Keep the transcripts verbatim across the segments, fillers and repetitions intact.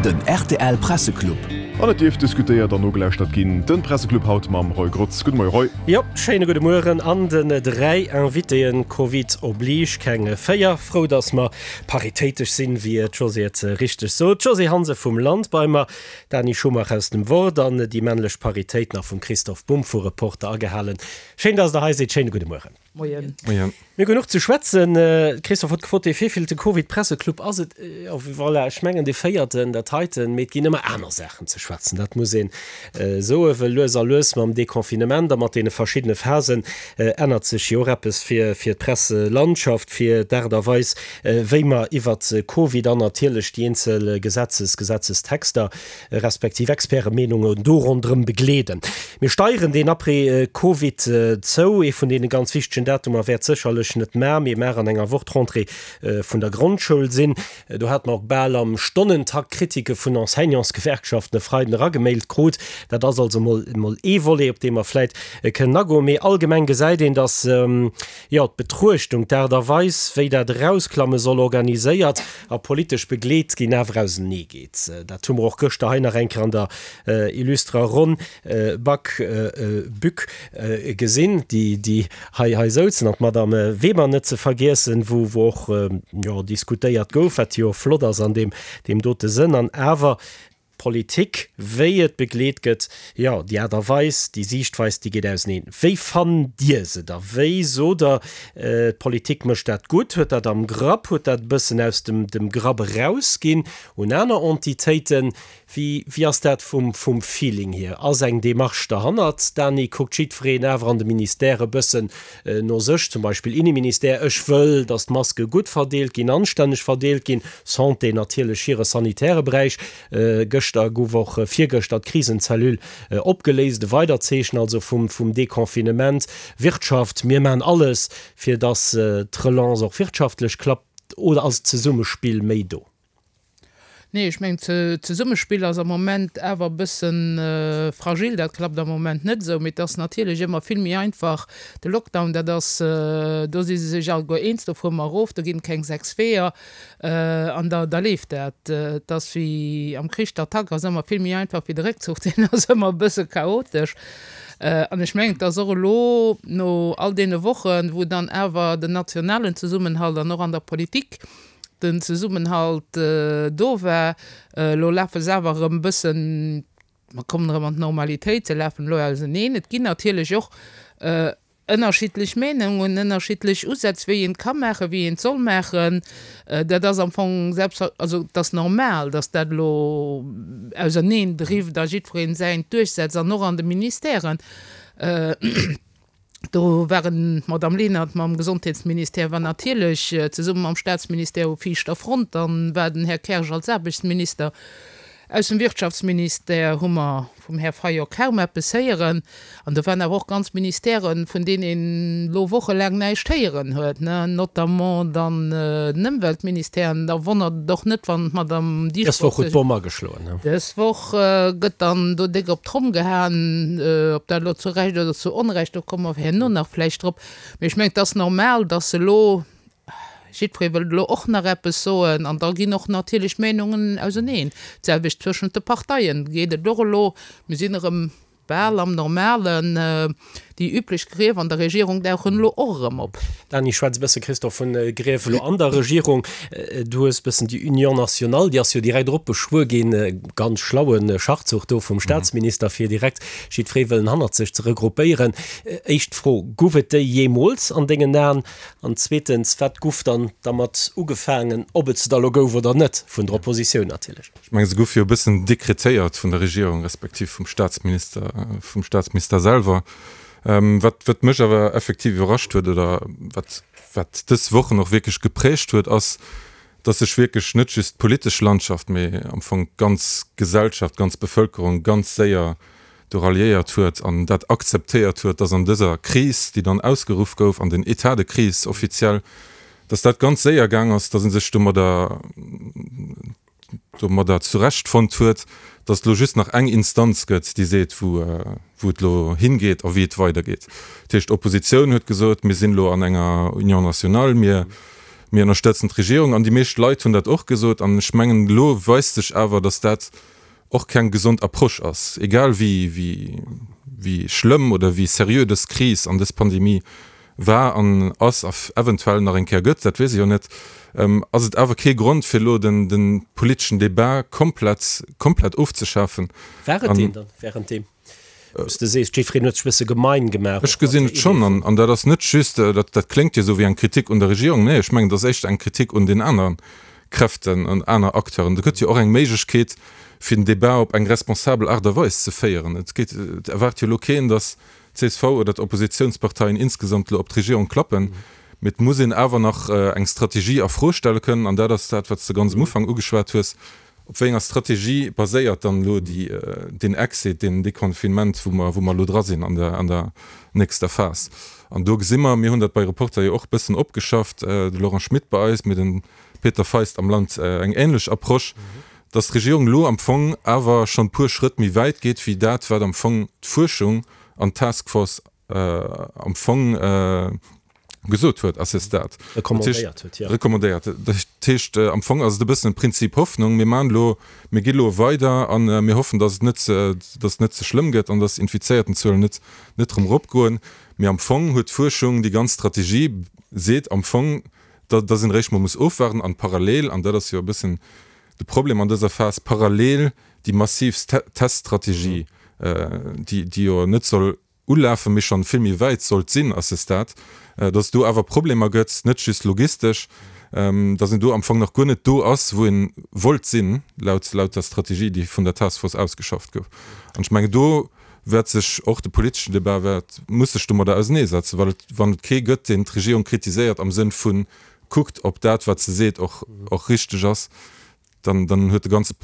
Den rtl Presseclub. An et dierf diskutéiert an nogelauschtert ginn. Den Presseclub haut mam Roy Grotz. Gudde Moie Roy. Jo, schéine gudde Mueren an den dräi Invitéen, Covid oblige, keng véier. Frou, dass mer paritéitesch sinn, wéi d'Josée et richteg sot. D'Josée Hansen vum Land bei mer, d'Dany Schumacher aus dem Wort an déi männlech Paritéit nach vum Christophe Bumb vu Reporter agehalen. Schéin, dass Der hei sidd. Schéine gudde Mueren. Moien. Moien. Mir hu genuch ze schwätzen. Christophe huet gefrot, dee wéivillte Covid-Presseclub ass et? Jo, voilà, ech mengen dee véierten, dat heiten. Mee et ginn ëmmer aner Saachen ze schwätzen, dat muss een soen, well lues a lues mam Deconfinement a mat deene verschiddene Phasen ännert sech jo och eppes fir d'Presselandschaft, fir d'Aart a Weis, wéi mer iwwert Covid an natierlech déi eenzel Gesetzes, Gesetzestexter respektiv Expertemeenungen do ronderëm begleeden. Mir steieren deen Après-Covid zou. Ee vun deene ganz wichtegen Datumer wäert sécherlech net mar, mee mar an enger Woch d'Rentrée vun der Grondschoul sinn. Do hate mer och bal am Stonnentakt Kritike vun Enseignantsgewerkschaften e Freiden eragemailt krut. Dat ass also mol mol ee Volet, op dee mer vläit kënnen agoen. Mee allgemeng gesäit een, datt, jo, d'Betruechtung, d'Aart a Weis, wéi dat Erausklamme soll organiséiert a politesch begleet ginn, awer auseneegeet. Dat hu mer och gëschter hei nach eng Kéier an der illustrer Ronn Back, Bück gesinn, déi, déi hei, hei souzen, an d'Madame Weber net ze vergiessen, wou, wou och, jo, diskutéiert gouf, wat jo flott ass an deem, deem dote Sënn. An awer d'Politik, wéi et begleet gëtt, jo, déi Aart a Weis, déi Siichtweis, déi geet auseneen. Wéi fannt Dir se da? Wéi sot Der, d'Politik mécht dat gutt, huet dat am Grapp, huet dat e bëssen aus dem, dem Grapp erausginn un aner Entitéiten? Wéi, wéi ass dat vum, vum Feeling hier? Ass eng Démarche derhannert? Dany, kuckt jiddwereen awer an de Ministèrë e bëssen no sech, zum Beispill Inneministère, ech wëll, datt d'Maske gutt verdeelt ginn, anstänneg verdeelt ginn, Santé natierlech hire sanitäre Beräich. Gëschter gouf och, virgëschter, d'Krisenzellule opgeléist, e weidert Zeechen also vum, vum Deconfinement. Wirtschaft, mir maachen alles, fir datt d'Relance och wirtschaftlech klappt. Oder ass d'Zesummespill méi do? Nee, ech mengen, d'Zesummespill ass am Moment awer e bësse fragil. Dat klappt am Moment net esou. Mee et ass natierlech ëmmer vill méi einfach, de Lockdown, dat ass, do si se sech alleguer eens, do fuere mer erof, do ginn et keng sechs Weeër an da da leeft dat. Et ass wéi am Krich, d'Attack ass ëmmer vill méi einfach wéi de Réckzuch, deen ass ëmmer e bësse chaotesch. An ech mengen, et ass och elo no all deene Wochen, wou dann awer den nationalen Zesummenhalt an och an der Politik den Zesummenhalt do war, elo lafe se awer erëm e bëssen, mer kommen erëm an d'Normalitéit, se lafen elo auseneen. Et ginn natierlech och ënnerschiddlech Meenungen, ënnerschiddlech Usätz, wéi een et ka maachen, wéi een et soll maachen. Dat ass am Fong selbstver-, also et ass normal, datt dat elo auserneen drift a jiddwereen säint duerchsetzt an och an de Ministèren. Do waren d'Madame Lenert mam Gesondheetsministère war natierlech zesumme mam Staatsministère u viischter Front. Dann war den Här Kersch als Aarbechtsminister. Aus dem Wirtschaftsministère hu mer vum Här Fayot kaum eppes héieren. An do waren awer och ganz Ministèren, vun deenen een elo wochelaang näischt héieren huet, notamment dann den Ëmweltministère. An da wonnert et och net, wann d'Madame Dieschbourg sech. Dës Woch huet d'Bomm ageschloen. Dës Woch gëtt dann do déck op d'Tromm gehaen, ob dat elo zu Recht oder zu Onrecht, do komme mer herno nach vläicht drop. Mee ech mengen, et ass normal, dass elo, jiddweree wëllt elo och nach eppes soen an da ginn och natierlech d'Meenungen auseneen. D'selwecht zwëschent de Parteien geet et och elo. Mir sinn erëm bal am Normalen. Déi üblech Grief an der Regierung dauchen elo och erëm op. Dany, schwätz e bësse, Christophe, vun Grief elo an der Regierung. Du hues e bëssen déi Union nationale, déi ass jo direkt eropbeschwuer ginn, ganz schlaue Schachzuch do vum Staatsminister, fir direkt jiddweree wëllen hannert sech ze regroupéieren. Éischt Fro, Guff et déi jeemools an dengen Aen? An zweetens, wat guff dann dermat ugefaangen, ob et se da elo gouf oder net, vun der Oppositioun natierlech? Ech mengen, se gouf jo e bëssen dekretéiert vun der Regierung respektiv vum Staatsminister, vum Staatsminister selwer. Wat, wat mech awer effektiv iwwerrascht huet oder wat, wat dës Wochen och wierklech geprägt huet, ass, dass sech wierklech net just d'politesch Landschaft, mee am Fong d'ganz Gesellschaft, d'ganz Bevëlkerung ganz séier do ralliéiert huet an dat akzeptéiert huet, dass an dëser Kris, déi dann ausgeruff gouf, an den État de crise offiziell, dass dat ganz séier gaang ass, dass ee sech domadder, domadder zurecht fonnt huet, datt et elo just nach eng Instanz gëtt, déi seet, wou wou et elo hingeet a wéi et weidergeet. Dat heescht, d'Oppositioun huet gesot, mir sinn elo an enger Union nationale, mir Mir ënnerstëtzen d'Regierung an déi meescht Leit hunn dat och gesot. An ech mengen, elo weist sech awer, dass dat och keng gesond Approche ass, egal wéi, wéi, wéi schlëmm oder wéi seriö dës Kris an dës Pandemie war an ass a eventuell nach eng Kéier gëtt, dat weess ech jo net, ass et awer kee Grond, fir elo den, de politeschen Debat komplett, komplett ofzeschafen. War et deen dann während deem, wou s de sees, jiddwereen huet sech e bësse gemein gemaach Ech gesinn et schonn. An, an dat ass net just, dat, dat kléngt jo esou wéi eng Kritik un der Regierung. Nee, ech mengen, dat ass éischter eng Kritik un den aneren Kräften, un aner Acteuren. Do gëtt jo och eng Méiglechkeet, fir den Debat op eng responsabel Aart a Weis ze féieren. Et geet, et erwaart jo elo keen, datt d'CSV oder d'Oppositionsparteien insgesamt elo op d'Regierung klappen. Mee et muss een awer nach eng Strategie a Fro stelle kënnen, an dat ass dat, wat s de ganz am Ufank ugeschwat hues, Op wéi enger Strategie baséiert dann elo déi, deen Exit, deen Deconfinement, wou mer, wou mer elo dra sinn an der, an der nächster Phas? An do gesi mer, mir hunn dat bei Reporter jo och e bëssen opgeschafft, de Laurent Schmit bei eis, mee de Peter Feist am Land eng ähnlech Approche, dass d'Regierung elo am Fong awer schonn e puer Schrëtt méi wäit geet wéi dat, wat am Fong d'Fuerschung an d'Task Force am Fong gesot huet à ce stade. Recommandéiert huet, jo. Recommandéiert. Dat heescht, am Fong ass et e bëssen e Prinzip Hoffnung, Mir maachen elo, mir gi elo weider a mir hoffen, dass et net, dass et net ze schlëmm gëtt an dass d'Infizéiertenzuelen net, net erëm eropgoen. Mee am Fong huet d'Fuerschung, déi ganz Strategie seet am Fong, dass een eréischt mol muss ofwaarden an parallel, an dat ass jo e bëssen de Problem an dëser Phas, parallel déi massiv Teststrategie, déi, déi jo net soll ulafen, mee schonn vill méi wäit sollt sinn à ce stade, dass et do awer Problemer gëtt, net just logistesch, dass een do am Fong nach guer net do ass, wou ee wollt sinn, laut, laut der Strategie, déi vun der Task Force ausgeschafft gouf. An ech mengen, do wäert sech och de politeschen Debat wäert, muss sech domadder auseneesetzen, well et, wann et kee gëtt, deen d'Regierung kritiséiert am Sënn vu kuckt, ob dat, wat se seet, och, och richteg ass, dann, dann huet de ganze,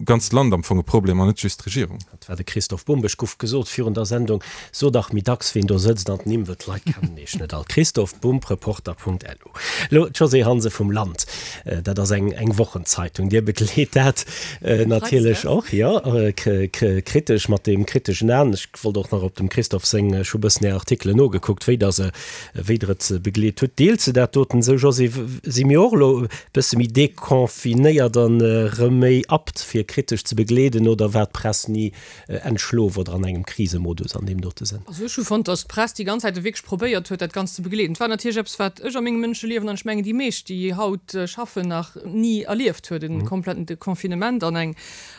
ganzt Land am Fong e Problem an net just d'Regierung. Dat war de Christoph Bumb. Ech gouf gesot virun der Sendung, So dach méi dacks, ween do sëtzt an d'Nimm, well d'Leit kennen iech net all. Christoph Bumb, Reporter Punkt lu. Elo d'Josée Hansen vum Land. Dat ass eng, eng Wochenzeitung. Dir begleet dat natierlech och, jo, kritesch, mat deem kriteschen Aen. Ech wollt och nach op dem Christophe seng, ech hu bëssen Är Artikelen nogekuckt, wéi Der se, wéi Der et begleet hutt. Deelt se dat doten esou, Josée? Si mir och elo e bësse méi deconfinéiert an erëm méi apt fir kritesch ze begleeden oder war d'Press ni entschlof oder an engem Krisemodus an deem dote Sënn? Also ech hu fonnt, datt d'Press déi ganz Zäit wierklech probéiert huet, dat Ganzt ze begleeden. Et war natierlech eppes, wat ech a mengem Mënscheliewen, an ech mengen déi meescht, déi haut schaffen, nach ni erlieft huet, e kompletten Deconfinement an eng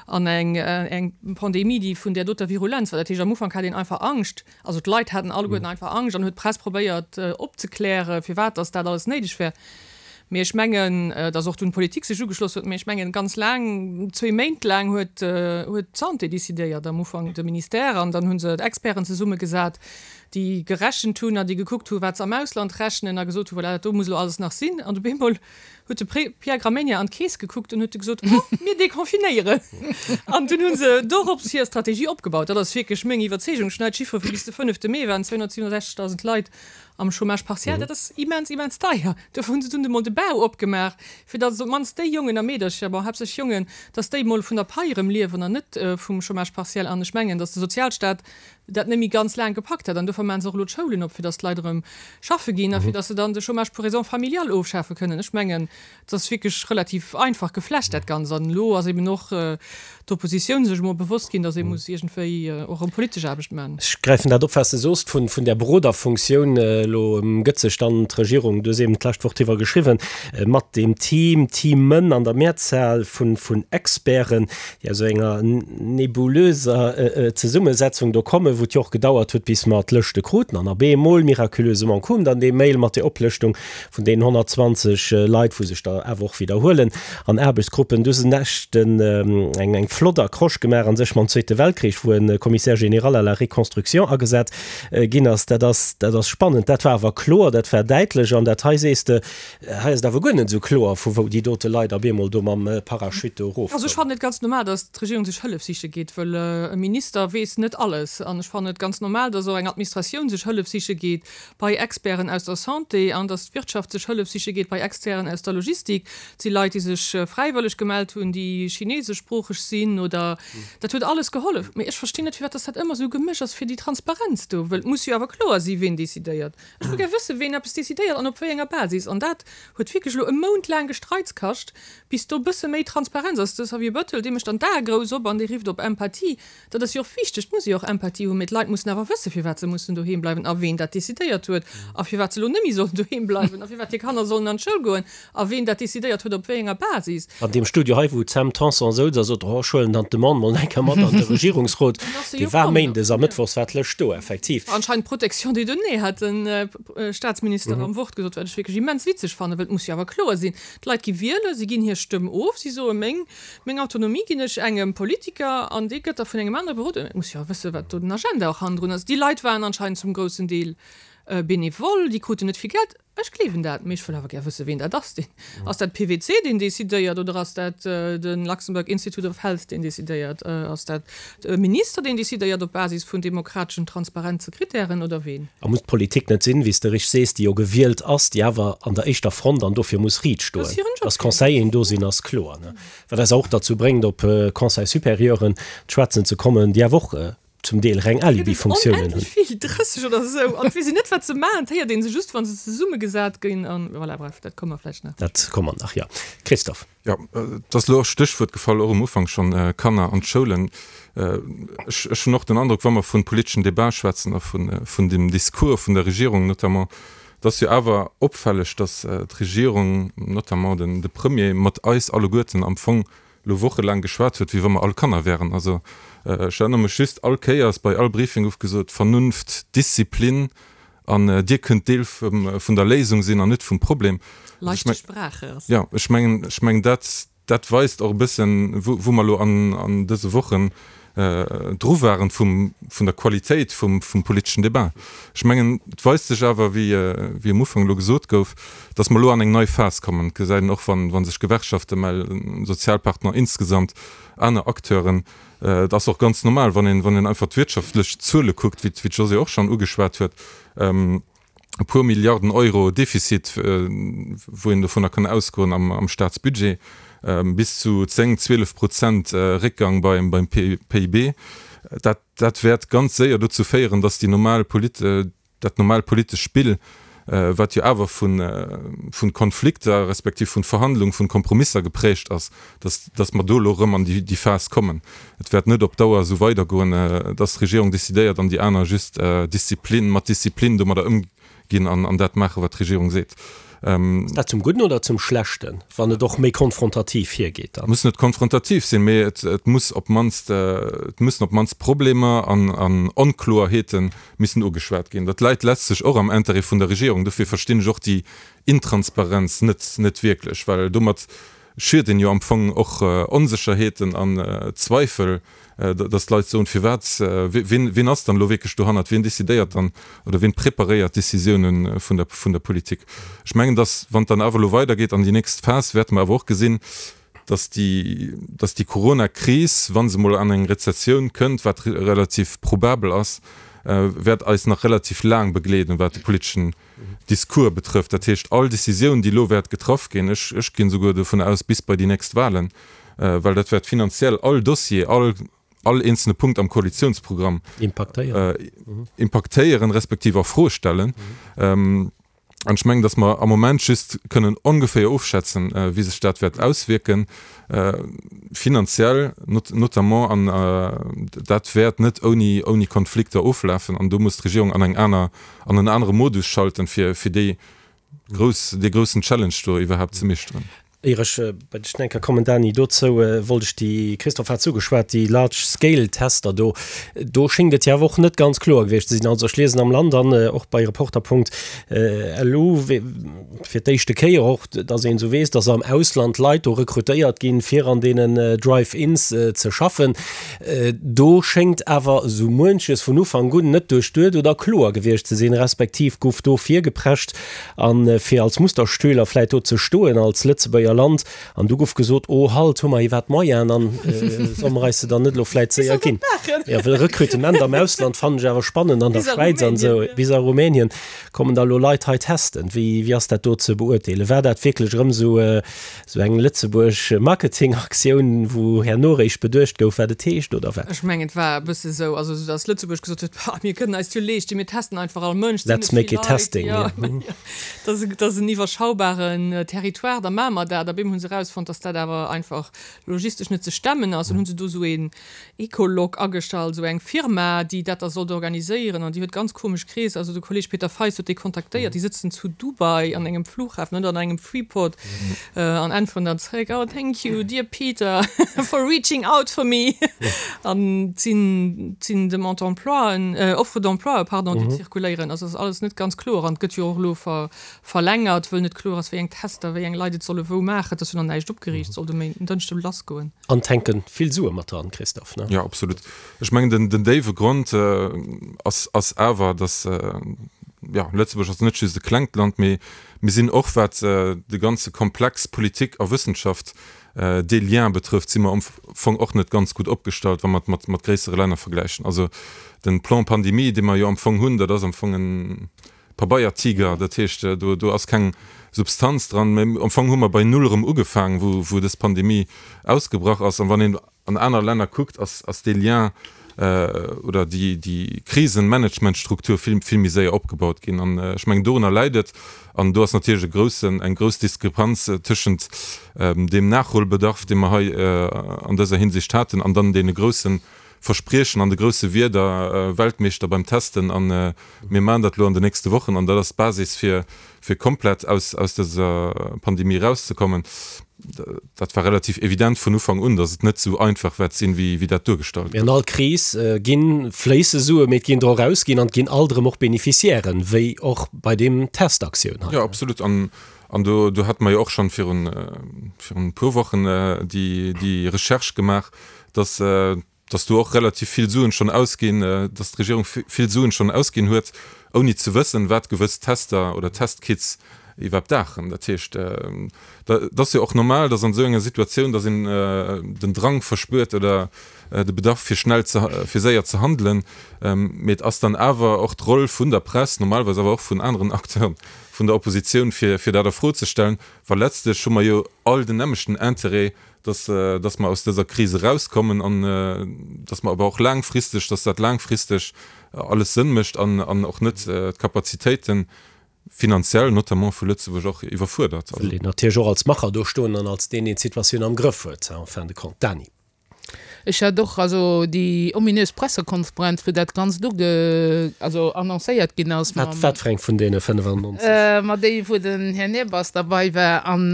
an eng eng Pandemie, déi vun där doter Virulenz war. Dat heescht, am Ufank hat een einfach Angscht, also d'Leit haten alleguerten einfach Angscht an huet d'Press probéiert opzeklären, firwat datt dat alles néideg wär. Mee ech mengen, datt och dunn d'Politik sech ugeschloss huet. Mee ech mengen, ganz laang, zwee Méint laang huet huet d'Santé décidéiert, am Ufank de Ministère, an dann hu se d'Experten zesummegesat, déi gerechent hunn an déi gekuckt hu wat se am Ausland rechnen a gesot hu, voilà, dat do muss elo alles nach sinn. An op eemol huet de Pierre Gramegna an d'Keess gekuckt an huet du gesot, oh, mir deconfinéieren. An dunn hu se dorops hir Strategie opgebaut. Dat ass wierklech meng Iwwerzeegung. Ech hunn hei d'Chiffere vu bis de fënnefte Mee waren zweehonnertsiewenundsechzegdausend Leit am Chômage partiel. Dat ass immens, immens deier. Dofir hu se dunn emol de Bau opgemaach, fir datt op d'mannst déi Jongen a Meedercher, bon, haaptsächlech Jongen, datt déi emol vun der Pai erëm liewen an net vum Chômage partiel. An ech mengen, datt de Sozialstaat dat net méi ganz laang gepackt hätt. An dofir maache se och elo d'Schoulen op, fir datt d'Leit erëm schaffe ginn a fir datt se dann de Chômage pour raisons familiales ofschafe kënnen. Ech mengen, et ass wierklech relativ einfach geflecht, dat Ganzt. An elo ass eben och d'Oppositioun sech emol bewosst ginn, datt ee muss iergendwéi och erëm politesch Aarbecht maachen. Ech gräifen dat op, wat s de soos vun där Beroderfunktioun. Elo gëtt sech dann d'Regierung, du hues eben d'lescht Woch driwwer geschriwwen, mat deem Team, Teamen an der Mehrzahl vun Experten, déi aus enger nebulöser Zesummesetzung do kommen, wou et jo och gedauert huet, bis mer d'Lëschte kruten. An op eemol, miraculösement, koum dann dee Mail mat der Oplëschtung vun deenen honnertzwanzeg Leit, wou sech der awer och widderhuelen an Aarbechtsgruppen. Du hues en echten, eng, eng flott Accroche gemaach a sech mam Zweete Weltkrich, wou e Commissaire général à la reconstruction agesat ginn ass. Dat ass, dat ass spannend. Dat war awer kloer, dat war däitlech. An dat hei, sees de, hei ass et awer guer net esou kloer, vu wou déi dote Leit op eemol do mam Parachute do erofkommen. Also ech fannen et ganz normal, datt d'Regierung sech Hëllef siche geet, wëll e Minister weess net alles. An An ech fannen et ganz normal, dass och eng Administratioun sech Hëllef siche geet bei Experten aus der Santé an dass d'Wirtschaft sech Hëllef siche geet bei Externen aus der Logistik. Et si Leit, déi sech fräiwëlleg gemellt hunn, déi chineseschsproocheg sinn oder. Dat huet alles gehollef. Mee ech verstinn net, firwat dass dat ëmmer esou gemëscht ass fir déi Transparenz do, wëll et muss jo awer kloer si ween decidéiert. Ech wëll gär wëssen, ween eppes decidéiert an op wéi enger Basis. An dat huet wierklech elo e Mount laang Gestreits kascht, bis do e bësse méi Transparenz ass. De Xavier Bettel, dee mécht dann d'Ae grouss op an dee rifft op Empathie. Dat ass jo och wichteg, et muss ee jo och Empathie hunn, mee d'Leit mussen awer wëssen, firwat se mussen doheem bleiwen a ween dat decidéiert huet a firwat se elo net méi sollen doheem bleiwen a firwat hir Kanner sollen an d'Schoul goen a ween dat decidéiert huet op wéi enger Basis. An deem Studio hei, wou d'Sam Tanson souz a sot, oh, ech huelen dann d'Demande mol eng Kéier mat an de Regierungsrot, dee war méindes a mëttwochs war d'Lëscht do, effektiv. Anscheinend Protection des données, hat de Staatsminister am Wort gesot, wat ech wierklech immens witzeg fannen, well et muss jo awer kloer sinn, d'Leit gi wielen, si ginn hir Stëmm of, si soe meng, meng Autonomie ginn ech engem Politiker an dee gëtt da vun engem anere beroden. Et muss jo awer wëssen, wat do den Agenda och hannendrun ass. Déi Leit waren anscheinend zum groussen Deel bénévol, déi kruten net vill Geld. Ech gleewen dat, mee ech wëll awer gär wëssen, ween dat ass. Deen, ass dat P W C, deen decidéiert, oder ass dat de Luxembourg Institute of Health, deen decidéiert? Ass dat de Minister, deen decidéiert op Basis vun demokrateschen, transparente Kritären, oder ween? A muss d'Politik net sinn, wéi s de richteg sees, déi jo gewielt ass, déi awer an der éischter Front an dofir muss riit Dat ass stoen? hiren Job, Dass jo. Conseilleren do sinn, ass kloer, ne? Wat eis och derzou bréngt, op Conseil-supérieuren schwätzen ze kommen, déi awer och zum Deel reng Gëtt et Alibi-Funktiounen hunn. onendlech vill, drësseg oder esou, an et weess een net, wat se maachen. Et héiert ee se just, wa se zesummegesat ginn. An voilà, bref, dat komme mer vläicht nach. Dat komme mer nach, jo. Christophe. Jo, et ass elo och Stéchwuert gefall, och um Ufank schonn, Kanner an d'Schoulen. Ech, ech hunn och den Androck, wa mer vun politeschen Debat schwätzen a vun, vun dem Discours vun der Regierung notamment, et ass jo awer opfälleg, datt d'Regierung, notamment den, de Premier, mat eis alleguerten am Fong elo wochelaang geschwat huet, wéi wa mer all Kanner wären. Also ech erënnere mech just, all Kéiers bei all Briefing gouf gesot, Vernunft, Disziplin an Dir kënnt Deel vum der Léisung sinn an net vum Problem. Leichte Sprache ass. Jo, ech mengen, ech mengen dat, dat weist och e bëssen, wou, wou mer elo an, an dëse Wochen dru waren vum, vun der Qualitéit vum, vum politeschen Debat. Ech mengen, et weist sech awer, wéi, wéi um Ufank elo gesot gouf, dass mer elo an eng nei Phas kommen. Et gesäit een och, wann, wa sech Gewerkschafte mellen, Sozialpartner insgesamt, aner Acteuren. Et ass och ganz normal, wann een, wann een einfach d'wirtschaftlech Zuele kuckt, wéi, wéi d'Josée och schonn ugeschwat huet, e puer Milliarden Euro Defizit, wou een dovunner kann ausgoen am, am Staatsbudget, bis zu zéng, zwielef Prozent Réckgang beim, beim P I B. Dat, dat wäert ganz séier dozou féieren, dass déi normal Polit, dat normal politesch Spill, wat jo awer vun, vun Konflikter respektiv vun Verhandlung, vun Kompromisser geprägt ass, dass, dass mer do elo erëm an déi, déi Phas kommen. Et wäert net op Dauer esou weidergoen, dass d'Regierung decidéiert an déi aner just Disziplin, mat Disziplin domadder ëmginn an, an dat maachen, wat d'Regierung seet. Ass dat zum Gudden oder zum Schlechten, wann et och méi konfrontativ hiergeet dann? Muss net konfrontativ sinn, mee et, et muss op d'mannst, et mussen op d'mannst Problemer an, an Onkloerheete missen ugeschwat ginn. Dat läit letztlech och am Intérêt vun der Regierung. Dofir verstinn ech och déi Intransparenz net, net wierklech, well domat schürt een jo am Fong och Onsécherheeten an Zweifel, dass d'Leit soen, firwat, wien, wien ass dann elo wierklech dohannert, wien decidéiert dann oder wien preparéiert d'Décisiounen vun der, vun der Politik. Ech mengen, dass, wann et dann awer elo weidergeet an déi nächst Phas, wäerte mer awer och gesinn, dass déi, dass déi Coronakris, wa se emol an eng Rezessioun kënnt, wat relativ probabel ass, wäert eis nach relativ laang begleeden, wat de politeschen Discours betrëfft. Dat heescht, all Décisioun, déi elo wäert getraff ginn, ech, ech ginn esouguer dovun aus, bis bei déi nächst Wahlen, well dat wäert finanziell all Dossier, all, all eenzelne Punkt am Koalitionsprogramm impaktéieren respektiv a Fro stellen. An ech mengen, datt mer am Moment just kënnen ongeféier ofschätzen, wéi sech dat wäert auswierken, finanziell notamment, an dat wäert net ouni, ouni Konflikter oflafen. An do muss d'Regierung an eng aner, an en anere Modus schalten, fir, fir déi grouss, dee groussen Challenge do iwwerhaapt ze meeschteren. Ier ech bei dech eng Kéier kommen, Dany, dozou wollt ech déi, Christophe hat ugeschwat, déi Large-Scale-Tester do, do schéngt et jo awer och net ganz kloer gewiescht ze sinn. Also ech liesen am Land an och bei Reporter Punkt lu fir d'éischte Kéier och, datt een esou weess, datt am Ausland Leit do rekrutéiert ginn, fir an deenen Drive-ins ze schaffen. Do schéngt awer esou muenches vun Ufank un net duerchduet oder kloer gewiescht ze sinn, respektiv gouf do virgeprescht, a fir als Musterschüler vläit do ze stoen als Lëtzebuerger Lëtzebuerger Land. An du gouf gesot, oh halt, hu mer iwwerhaapt d'Moyenen an solle mer eis se dann net elo vläit séier ginn? Jo, well Rekrutement am Ausland fannen ech awer spannend, an der Schwäiz an esou, bis a Rumänien kommen da elo Leit hei testen. Wéi, wéi ass dat do ze beurteelen? War dat wierklech erëm esou, esou eng Lëtzebuerg Marketingaktioun, wou herno eréischt beduecht gouf, wat et heescht, oder wat? Ech mengen, et war e bësse esou, also esou, datt Lëtzebuerg gesot huet, Bah, mir kënnen eis jo leeschten, mir testen einfach all Mënsch, et sinn Let's net make vill it Leit, testing, jo, jo. Dat ass, dat ass en iwwerschaubaren Territoire, da maache mer dat. A bim hu se erausfonnt, datt dat awer einfach logistesch net ze stemmen ass. Dann hu se do esou een Ecolog agestallt, esou eng Firma, déi dat da sollt organiséieren. An déi huet ganz komesch Kreesser, also de Kolleg Peter Feist huet déi kontaktéiert, déi sëtzen zu Dubai an engem Flughafen oder an engem Freeport an äntweren dann zeréck, Oh, thank you, dear Peter, for reaching out for me. An et sinn, et sinn Demande d'emploien, Offres d'emploi, pardon, déi zirkuléieren. Also et ass alles net ganz kloer an et gëtt jo och elo ver, verlängert, wëll net kloer ass, wéi eng Tester, wéi eng Leit et solle wou maachen. Et ass jo nach näischt opgeriicht, soll de Méinden, den Dënschde lassgoen. An et hänke vill Sue mat dran, Christophe, ne? Jo, absolut. Ech mengen, den, den déiwe Grond ass, ass awer, dass, jo, Lëtzebuerg ass net just e klengt Land, mee mir sinn och, wat de ganze Komplex Politik a Wëssenschaft, dee Lien betrëfft, si mer am Fong och net ganz gutt opgestallt, wa mer et mat, mat gréissere Länner vergläichen. Also de Plan Pandémie, dee mer jo am Fong hunn, dat ass am Fong e Pabeiertiger, dat heescht, do, do ass keng Substanz dran. Mä am Fong hu mer bei Null erëm ugefaangen, wou, wou dës Pandemie ausgebrach ass. An wann een an aner Länner kuckt, ass, ass dee Lien oder déi, déi Krisenmanagementstruktur vill, vill méi séier opgebaut ginn. An ech mengen, dorunner läit et. An do ass natierlech e groussen, eng grouss Diskrepanz tëschent deem Nachholbedarf, dee mer hei an dëser Hinsicht haten, an dann deene grousse Verspriechen an de grousse Wierder, Weltmeeschter beim Testen a mir maachen dat elo an den nächste Wochen an dat ass d'Basis fir fir komplett aus aus dëser Pandemie erauszekommen. Dat war relativ evident vun Ufank un, datt et net esou einfach wäert sinn, wéi wéi dat duergestallt Mee an gëtt. all Kris gi fléisse Sue, mee et ginn der och ausginn an et ginn alt erëm och Beneficiairen, wéi och bei deem Testaktioun hei. Jo, absolut. An an do do hate mer jo och schonn virun virun e puer Wochen déi déi Recherche gemaach, datt dass do och relativ vill Suen schonn ausginn, dass d'Regierung vill Suen schonn ausginn huet, ouni ze wëssen, wat gewëss Tester oder Testkits iwwerhaapt daachen. Dat heescht, et ass jo och normal, dass an esou enger Situatioun, dass een den Drang verspuert oder de Bedarf fir schnell ze, fir séier ze handelen. Mee et ass dann awer och d'Roll vun der Press, normalerweis awer och vun aneren Acteuren vun der Oppositioun, fir fir dat a Fro ze stellen, well letztlech hu mer jo all den nämmlechten Interêt, dass, dass mer aus dëser Kris erauskommen an dass mer awer och laangfristeg, dass dat laangfristeg alles Sënn mécht an, an och net d'Kapazitéiten finanziell notamment vu Lëtzebuerg och iwwerfuerdert. Wëll een natierlech och als Macher do stoen an als deen, deen d'Situatioun am Grëff huet en fin de compte. Dany. Ech hat och, also déi ominös Pressekonferenz, wou dat Ganzt uge, also annoncéiert ginn ass Wat, mam. wat fir eng vun deene fënnefannonzeg? Ma déi, wou den Här Nirbas derbei war. An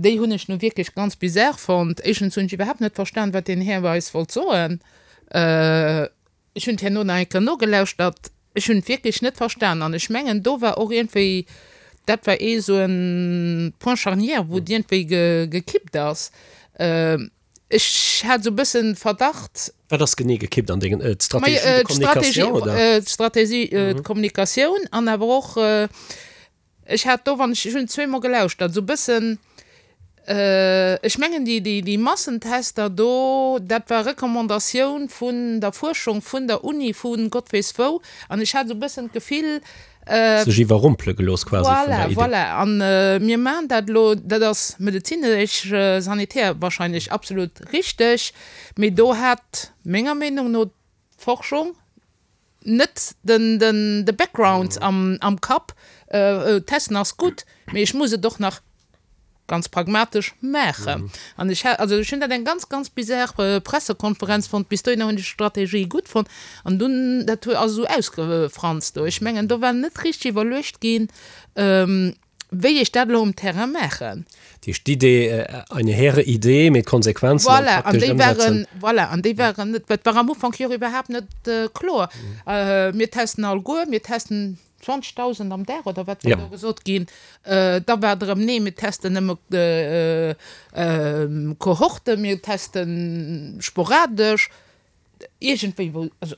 déi hunn ech nu wierklech ganz bizar fonnt. Éischtens hunn ech iwwerhaapt net verstan, wat deen Här eis wollt soen. Ech hunn et herno nach eng Kéier nogelauschtert. Ech hunn et wierklech net verstan. An ech mengen, do war och iergendwéi, dat war ee sou e Point charnière, wou et iergendwéi gekippt ass. Ech hat esou e bëssen Verdacht. Wat ass genee gekippt an dengen, d'Stratégie de communication, oder? D'Stratégie de communication an awer och, ech hat do, wann ech, ech hunn zweemol gelauschtert, esou e bëssen, ech mengen déi, déi Massentester do, dat war Recommandatioun vun der Fuerschung, vun der Uni, vu Gott weess wou, an ech hat esou e bëssen d'Gefill, Sech iwwerrumpele gelooss quasi vun der Idee. Voilà, voilà. An mir maachen dat elo, dat ass medezinesch, sanitär wahrscheinlech absolut richteg, mee do hat menger Meenung no d'Forschung net den, den, de Background am, am Kapp. Testen ass gutt, mee ech muss et och nach ganz pragmatesch maachen. An ech hat, also ech hunn dat eng ganz, ganz bizar Pressekonferenz fonnt. Bis dohinner hunn ech d'Strategie gutt fonnt. An dunn, dat ass esou ausgefranst do. Ech mengen, do war net richteg iwwerluecht ginn, wéi ech dat elo um Terrain maachen. Dat heescht, d'Idee, eine hehre Idee, mee d'Konsequenzen am Voilà, an praktescht déi waren, Ëmsetzen. voilà, an déi waren net, dat war am Ufank jo och iwwerhaapt net kloer. Mir testen alleguer, mir testen zwanzegdausend am Dag oder wat war do gesot ginn. Da war et erëm, nee, mir testen nëmme Kohorten, mir teste sporadesch. Iergendwéi wou, also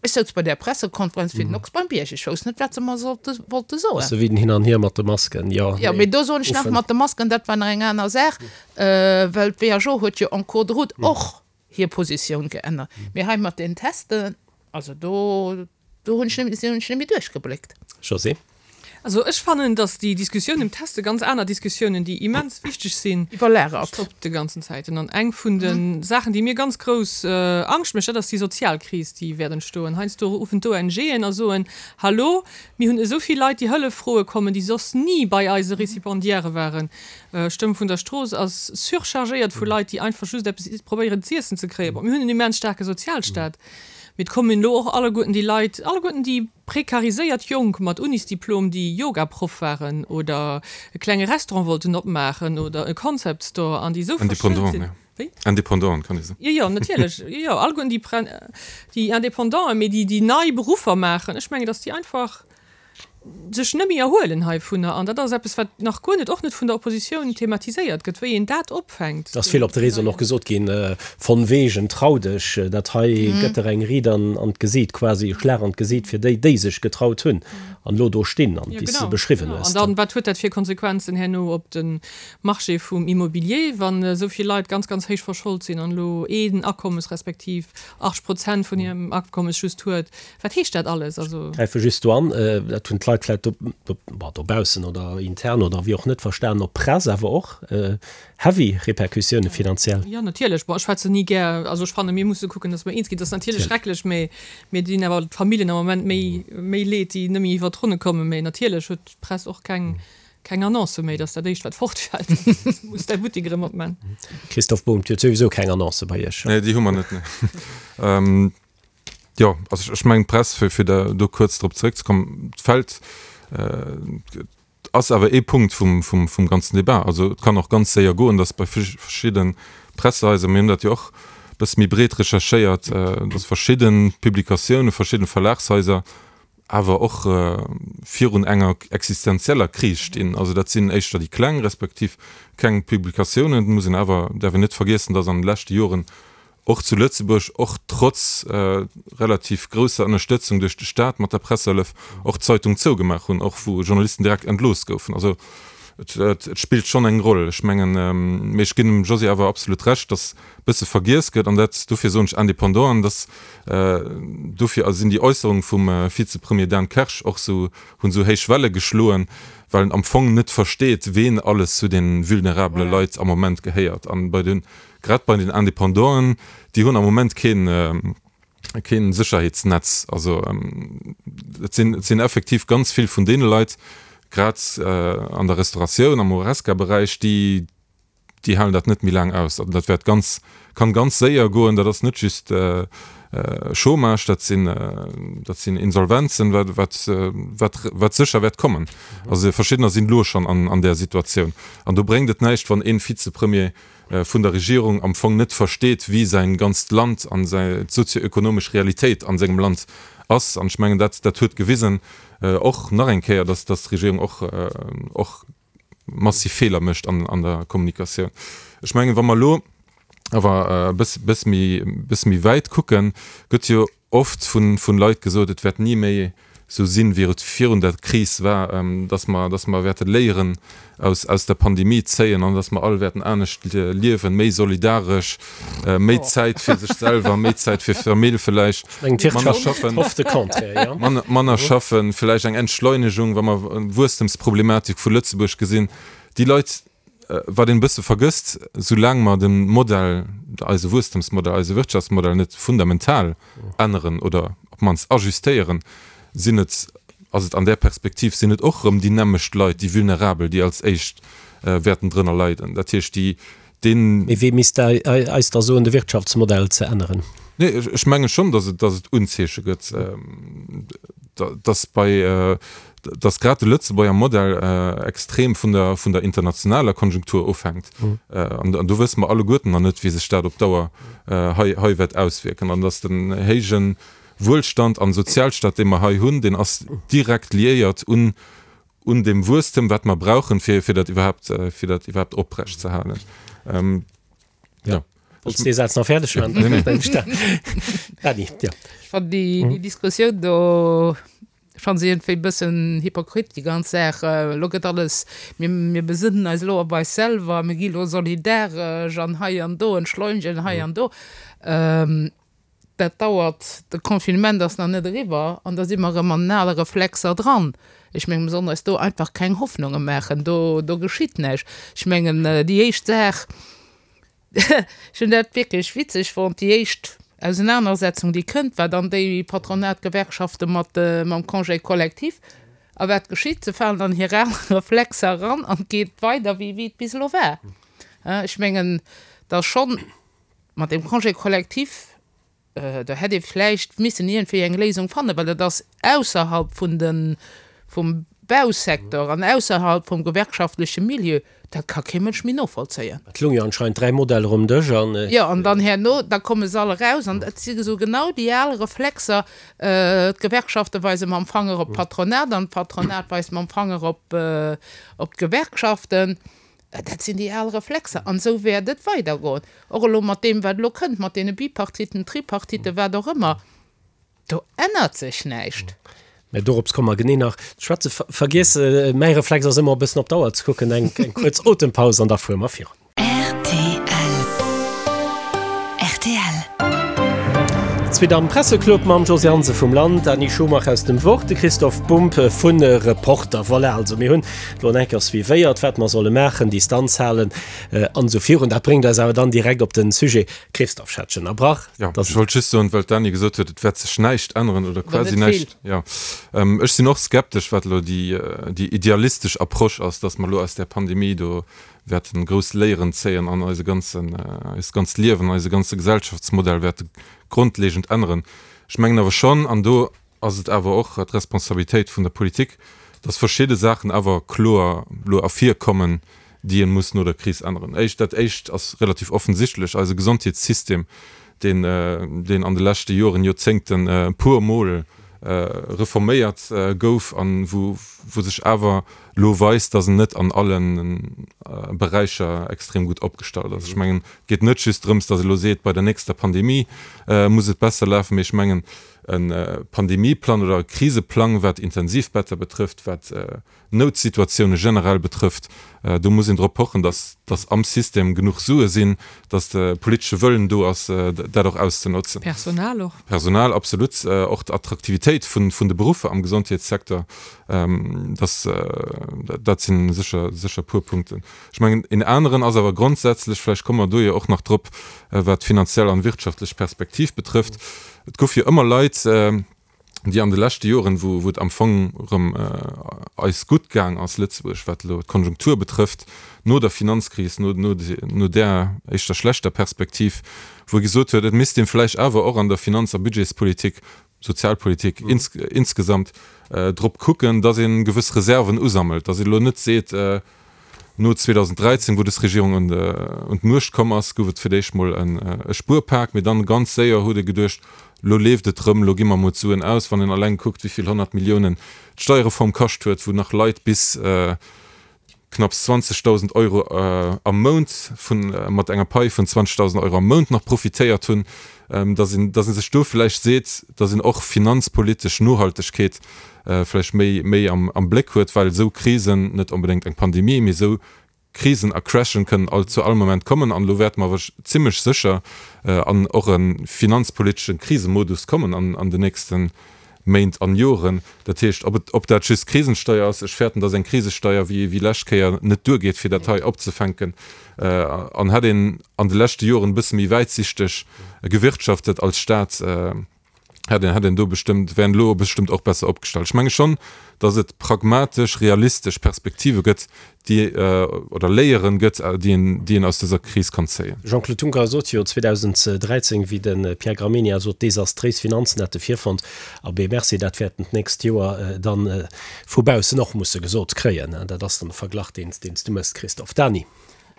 Ech souz bei där Pressekonferenz wéi den Ochs beim Bierg. Ech wousst net, wat se mer sollte, wollte soen. Sou wéi den Hin an Hier mat de Masken, jo, Jo, mee do soen ech nach, mat de Masken, dat war nach eng aner Saach, well d'WHO huet jo en cours de route och hir Positioun geännert. Mee hei mat den Testen, also do, do hunn ech net, hunn ech net méi duerchgebléckt. Josée? Also ech fannen, dass déi Diskussioun ëm d'Teste ganz aner Diskussiounen, déi immens wichteg sinn, Iwwerlagert. stoppt de ganzen Zäiten. An eng vun de Saachen, déi mir ganz grouss Angscht mécht, dat ass déi Sozialkris, déi wäert entstoen. Heiansdo ruffen d'ONGen a soen, Hallo, mir hunn esou vill Leit, déi Hëllef froe kommen, déi soss ni bei eise Récipendiairë waren. Stëmm vun der Strooss ass surchargéiert vu Leit, déi einfach just eppes probéieren z'iessen ze kréien. Bon, mir hunn en immens staarke Sozialstaat. Mee et kommen elo och alleguerten déi Leit, alleguerten déi prekariséiert Jonk mat Unisdiplom, déi Yogaproff waren oder e klenge Restaurant wollten opmaachen oder e Concept Store an déi esou verschëlt sinn. Indépendanten, jo. Wéi? Indépendanten, kann ee soen. Jo, jo, natierlech. Jo, jo, alleguerten déi Pre-, déi Indépendanten, mee déi, déi nei Beruffer maachen. Ech mengen, datt déi einfach sech net méi erhuelen heivunner. An dat ass eppes, wat nach guer net, och net vun der Oppositioun thematiséiert gëtt, wéi een dat opfänkt. Et ass vill op de Réseauen och gesot ginn, von wegen, trau dech, dat hei gëtt der eng Ried an d'Gesiit, quasi e Schlag an d'Gesiit fir déi, déi sech getraut hunn an elo do stinn an déi s de beschriwwen hues. An dann, wat huet dat fir Konsequenzen herno op de Marché vum Immobilier, wann esou vill Leit ganz, ganz héich verscholt sinn an elo een Akommes respektiv achtzeg Prozent vun hirem Akommes just huet? Wat heescht dat alles? Also. Ech gräife just do an, dat hunn d'Leit vläicht do, do, bon, dobaussen oder intern oder wéi och net verstanen, op d'Press awer och heavy Répercussioune finanziell. Jo, natierlech. Bon, ech schwätzen ni gär, also ech fannen, mir musse kucken, datt mer eens ginn. Dat ass natierlech schrecklech, mä mir dinn awer d'Familljen am Moment méi, méi leed, déi net méi iwwer d'Ronne kommen. Mä natierlech huet d'Press och keng, keng Annoncë méi. Dat ass dat Éischt, wat fortfält. Du muss däi Buttek erëm opman. Christophe Bohn, Dir hutt souwisou keng Annoncë bei Iech? Nee, déi hu mer net, nee. Jo, also ech mengen d'Press, fir fir da do kuerz drop zeréckzekommen, d'fält, ass awer ee Punkt vum vum vum ganzen Debat. Also et kann och ganz séier goen, datt bei verschidde Pressehaiser, mir hunn dat jo och e bësse méi breet recherchéiert, datt verschidde Publikatiounen, verschidde Verlagshaiser awer och virun enger existenzieller Kris stinn. Also dat sinn éischter déi kleng respektiv keng Publikatiounen. Et muss een awer, däerf een net vergiessen, datt an de leschte Joren och zu Lëtzebuerg, och trotz relativ grousser Ënnerstëtzung duerch de Staat mat der Pressehëllef, och Zeitung zougemaach hunn, och wou Journalisten direkt entlooss goufen. Also et spillt schonn eng Roll. Ech mengen, mee ech ginn dem Josy awer absolut Recht, datt e bësse vergiess gëtt, an dat, dofir soen ech Indépendanten, datt dofir sinn déi Äusserunge vum Vizepremier Dan Kersch och esou, hunn esou héich Welle geschloen, well en am Fong net versteet, ween alles zu de vulnerabele Leit am Moment gehéiert. An bei den, grad bei den Indépendanten, déi hunn am Moment keen, keen Sécherheetsnetz. Also et sinn, et sinn effektiv ganz vill vun deene Leit, grad an der Restauratioun, am Horesca-Beräich, déi, déi halen dat net méi laang aus. An dat wäert ganz, kann ganz séier goen. Dat ass net just Chômage, dat sinn, dat sinn Insolvenzen, wat, wat, wat, wat sécher wäert kommen. Also verschiddener sinn elo schonn an, an där Situatioun. An do bréngt et näischt, wann ee Vizepremier vun der Regierung am Fong net versteet, wéi säin ganzt Land an säi, d'sozioökonomesch Realitéit an sengem Land ass. An ech mengen, dat, dat huet gewisen och nach eng Kéier, dass, dass d'Regierung och, och massiv Feeler mécht an, an der Kommunikatioun. Ech mengen, wa mer elo awer e bëss, bëss méi, bëss méi wäit kucken, gëtt jo oft vun, vun Leit gesot, et wäert ni méi esou sinn, wéi et virun der Kris war, dass mer, dass mer wäerte Léieren aus, aus der Pandemie zéien an dass mer all wäerten anescht liewen, méi solidaresch, méi Zäit fir sech selwer, méi Zäit fir d'Famill vläicht, manner schaffen, manner, manner schaffen, vläicht eng Entschleunegung, wa mer d'Wuesstemsproblematik vu Lëtzebuerg gesinn. Déi Leit, Wat een e bësse vergësst, soulaang mer de Modell, eise Wuesstemsmodell, eise Wirtschaftsmodell net fundamental änneren oder op d'mannst ajustéieren, sinn et, ass et an där Perspektiv, sinn et och erëm déi nämmescht Leit, déi Vulnerabel, déi als éischt wäerten drënner leiden. Dat heescht, déi, deen. Mee wee misst eis da soen, de Wirtschaftsmodell ze änneren? Nee, ech menge schonn, datt et, datt et Unzeeche gëtt, datt bei, datt grad de Lëtzebuerger Modell extrem vun der, vun der internationaler Konjunktur ofhänkt. An do wësse mer alleguerten nach net, wéi sech dat op Dauer hei, hei wäert auswierken. An datt den héije Wuelstand an Sozialstaat, dee mer hei hunn, deen ass direkt liéiert un, un deem Wuesstem, wat mer brauchen, fir, fir dat iwwerhaapt, fir dat iwwerhaapt oprecht ze halen. Jo. Wollts dee Saz nach fäerdeg maachen? Nee, nee. Dany, jo. Ech fannen déi, déi Diskussioun do, ech fannen se iergendwéi e bëssen hypokrit, déi ganz Saach. Elo gëtt alles, mir, mir besënnen eis elo op eis selwer, mir gi elo solidaresch an hei an do, entschleunegen hei an do. Dat dauert, de Confinement ass nach net eriwwer an da si mer erëm an den ale Reflexer dran. Ech mengen, mir sollen eis do einfach keng Hoffnunge maachen, do, do geschitt näischt. Ech mengen, déi éischt Saach, Ech hunn dat wierklech witzeg fonnt, déi éischt Ausenanersetzung, déi kënnt, war dann déi Patronat-Gewerkschafte mat mam Congé collectif. A wat geschitt? Se falen an hir al Reflexer eran an et geet weider, wéi et bis elo war. Ech mengen, datt schonn mat deem Congé collectif, Do hätt ee vläicht missen iergendwéi eng Léisung fannen, well dat ass ausserhalb vun de, vum Bausecteur an ausserhalb vum gewerkschaftleche Milieu, dat ka kee Mënsch méi novollzéien. Et loung jo anscheinend dräi Modeller um Dësch an. Jo, an dann herno, da komme se all eraus an et si esou genau déi al Reflexer, d'Gewerkschafte weise mam Fanger op d'Patronat an d'Patronat weist mam Fanger op, op d'Gewerkschaften. Dat sinn déi al Reflexer an esou wäert et weidergoen. Och elo mat deem, wat elo kënnt, mat deene Bipartiten, Tripartiten, wat och ëmmer, do ännert sech näischt. Mä dorops komme mer genee nach ze schwätzen. Vergiess, mäi Reflex ass ëmmer e bëssen op d'Auer ze kucken. Eng kuerz Otempaus an da fuere mer virun. Rtl. Zweet am Presseclub mam Josée Hansen vum Land, Dany Schumacher aus dem Wort, de Christoph Bumb vun Reporter. Voilà, also mir hunn elo eng Kéier suivéiert, wat mer solle maachen, Distanz halen an esou virun. Dat bréngt eis awer dann direkt op den Sujet. Christoph, ech hat dech ënnerbrach. Jo, ech wollt just soen, well d'Dany gesot huet, et wäert sech näischt änneren oder quasi näischt. Jo, ech sinn och skeptesch, wat elo déi idealistesch Approche ass, datt mer elo aus där Pandemie do wäerten grouss Léieren zéien an eise ganzen, eist ganzt Liewen, eise ganze Gesellschaftsmodell wäerte grondlegend änneren. Ech mengen awer schonn, an do ass et awer och d'Responsabilitéit vun der Politik, dass verschidde Saachen awer kloer elo ervirkommen, déi ee muss no der Kris änneren. Éischt, dat Éischt ass relativ offensichtlech, eise Gesondheetssystem, deen, deen an de leschte Joren, Joerzéngten e puermol reforméiert gouf an wou wou sech awer elo weist, dass en net an alle Beräicher extrem gutt opgestallt ass. Ech mengen, et geet net just drëms, dass ee elo seet, bei der nächster Pandemie muss et besser lafen, mee ech mengen, e Pandemieplang oder e Kriseplang, wat Intensivbetter betrëfft, wat Noutsituatioune generell betrëfft, do muss een drop pochen, dass dass am System genuch Sue sinn, dass de politesche Wëllen do ass, dat och auszenotzen. Personal och. Personal, absolut. Och d'Attraktivitéit vun vun de Beruffer am Gesondheetssecteur, dass dat si sécher sécher puer Punkten. Ech mengen, een aneren ass awer grondsätzlech, vläicht komme mer do jo och nach drop, wat d'finanziell an wirtschaftlech Perspektiv betrëfft, Et gouf jo ëmmer Leit, déi an de leschte Joren, wou wou et am Fong erëm eis gutt gaang ass, Lëtzebuerg, wat elo d'Konjunktur betrëfft, no der Finanzkris, no no no där éischter schlechter Perspektiv, wou ee gesot huet, et misst ee vläicht awer och an der Finanz a Budgetspolitik, Sozialpolitik insgesamt, drop kucken, datt ee gewëss Reserven usammelt, datt ee elo net seet, No zweedausenddräizéng, wou dës Regierung un d'Muecht komm ass, gouf et fir d'éischt mol e Spuerpak, mee dann ganz séier huet ee geduecht, lo leeft et erëm, lo gi mer mol d'Suen aus. Wann een alleng kuckt, wéi vill honnert Milliounen d'Steierreform kascht huet, wou nach Leit bis knapps zwanzegdausend Euro am Mount vun, mat enger Pai vun zwanzegdausend Euro am Mount nach profitéiert hunn, dass een, dass ee sech do vläicht seet, dass een och finanzpolitesch Nohaltegkeet vläicht méi, méi am, am Bléck huet, well esou Krisen, net onbedéngt eng Pandemie, mee esou Krisen a Crashen kënnen all, zu all Moment kommen. An elo wäerte mer awer zimlech sécher an och e finanzpolitesche Krisemodus kommen an, an den nächste Méint an Joren. Dat heescht, ob et, ob dat just Krisensteuer ass, ech fäerten, dass eng Krisesteuer wéi, wéi lescht Kéier net duergeet, fir dat hei opzefänken. An hätt een an de leschte Joren e bësse méi wäitsichteg gewirtschaftet als Stat, hätt een, hätt een do bestëmmt, wär een elo bestëmmt och besser opgestallt. Ech menge schonn, datt et pragmatesch, realistesch Perspektive gëtt, déi, oder Léieren gëtt, déi een, déi een aus dëser Kris kann zéien. Jean-Claude Juncker sot jo zweedausenddräizéng, wéi de Pierre Gramegna sot, desastréis Finanzen hätte virfonnt. Abee merci, dat wäert en d'nächst Joer dann vu baussen och musse gesot kréien. Dat ass dann de Verglach, deen s du méchs, Christophe. Dany.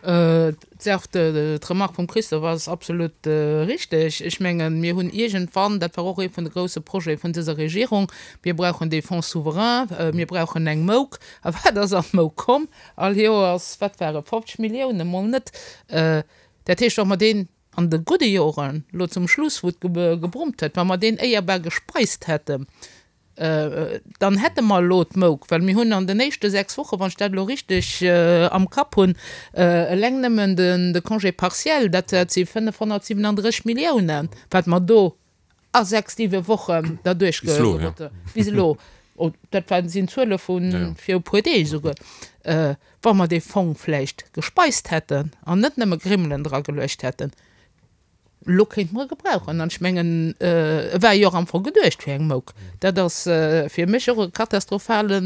D'Saach, d'Remarque vum Christophe ass absolut richteg. Ech mengen, mir hunn iergendwann, dat war och ee vun de grouse Projete vun dëser Regierung, mir brauchen dee Fonds souverain, mir brauchen eng Mouk. A wat ass an d'Mouk komm? All Joers, wat ware fofzeg Milliounen, mol net. Dat heescht, wa mer deen an de gudde Joren, elo zum Schluss, wou et gebrummt huet, wa mer deen éierbar gespeist hätten, dann hätte mer elo d'Mouk, well mir hunn an den éischte sechs Wochen, wann ech dat elo richteg am Kapp hunn, eleng nëmmen de Congé partiel, dat si fënnefhonnertsiwenandrësseg Milliounen, wat mer do a sechs, siwe Wochen derduerch Bis elo, ja. Bis elo. Dat waren, sinn Zuele vu vir e puer Deeg esouguer. Wa mer dee Fong vläicht gespeist hätten an net nëmme Grimmelen drageluecht hätten, elo kéinte mer e gebrauchen. An ech mengen, e war jo och am Fong geduecht fir eng Mouk. Dat ass fir mech och e katastrophale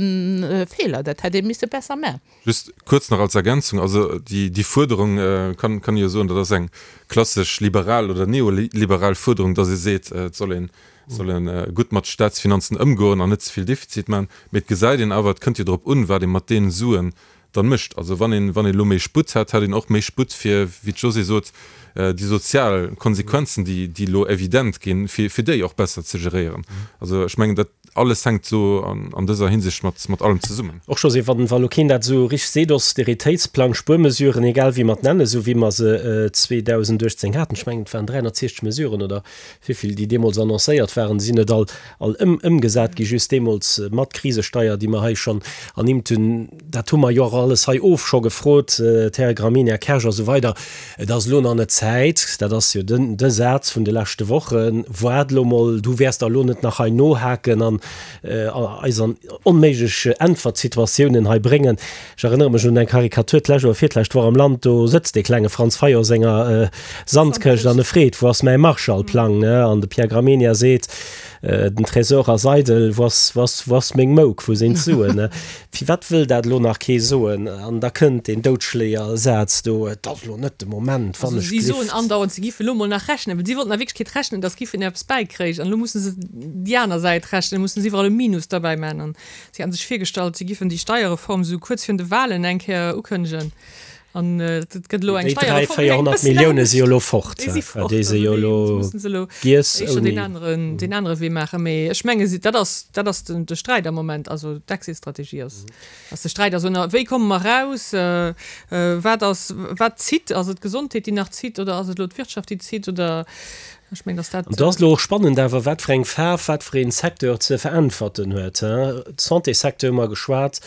Feeler. Dat hätt ee misse besser maachen. Just kuerz nach als Ergänzung, also déi Fuerderung, kann ee jo soen, dat ass eng klassesch liberal oder neoliberal Fuerderung, datt ee seet, et soll een soll ee gutt mat Staatsfinanzen ëmgoen an net ze vill Defizit maachen. Mee et gesäit een awer, et kënnt jo drop un, wat ee mat deene Suen dann mécht. Also wann een, wann een elo méi Sputt hätt, hätt een och méi Sputt fir, wéi d'Josée sot, déi sozial Konsequenzen, déi, déi elo evident ginn, fir, fir déi och besser ze geréieren. Also ech mengen, dat alles hänkt esou an, an dëser Hinsicht mat, mat allem zesummen. Och Josée, wann, wa lo keen dat esou richteg seet, Austeritéitsplang, Spuermesuren, egal wéi mer et nennen, esou wéi mer se zweedausendachtzéng haten, ech mengen et waren dräihonnertsiechzeg Mesuren oder wéivill déi deemools annoncéiert waren, sinn net all, all ëm, ëmgesat gi, just deemools mat Krisesteier, déi mer hei schonn ernimmt hunn. Dat hu mer jo och alles hei of scho gefrot, d'Häre Gramegna, Här Kersch a sou weider. Et ass elo nach net Zäit, dat ass jo den, de Saz vun de leschte Wochen, Waart elo mol, du wäers der elo net nach hei nohaken an eis an onméiglech Äntwertsituatiounen hei bréngen. Ech erënnere mech un eng Karikatur d'lescht oder virlescht Woch am Land, do sëtzt dee klenge Franz Fayot a senger Sandkëscht an e freet, Wou ass mäi Marshallplang? An de Pierre Gramegna seet, Den Tresor ass eidel, wou ass, wou ass, wou ass meng Mouk, wou sinn d'Suen? Firwat wëll dat elo nach kee soen? An da kënnt deen Doudschléier-Saz do, Et ass elo net de Moment, wann Also ech si soen glift. andauernd, si giffen elo mol nach rechnen, well si wollten a Wierklechkeet rechnen, datt giffen eppes bäikréich. An elo musse se déi aner Säit rechnen, musse se iwwerall e Minus derbäi man. An si haten sech virgestallt, si giffen déi Steierreform esou kuerz virun de Wahlen eng Kéier ukënnegen. An et gëtt elo eng Déi dräi, Steierreform, déi eng véierhonnert bëssen Millioune si jo anescht. elo fort. Déi si fort. Déi si Also jo déi elo mussen se elo giess éischter deen ouni. aneren, deen anere Wee maachen. Mee ech menge si, dat ass, dat ass den, de Sträit am Moment. Also d'Exit-Strategie ass, ass de Sträit. Also wéi komme mer eraus? Wat ass, wat zitt? Ass et d'Gesondheet, déi nach zitt, oder ass et elo d'Wirtschaft, déi zitt? Oder ech mengen, datt dat. An do ass elo och spannend awer, wat fir eng Faarf, wat fir een Secteur ze veräntwerten huet. Santéssecteur hu mer geschwat,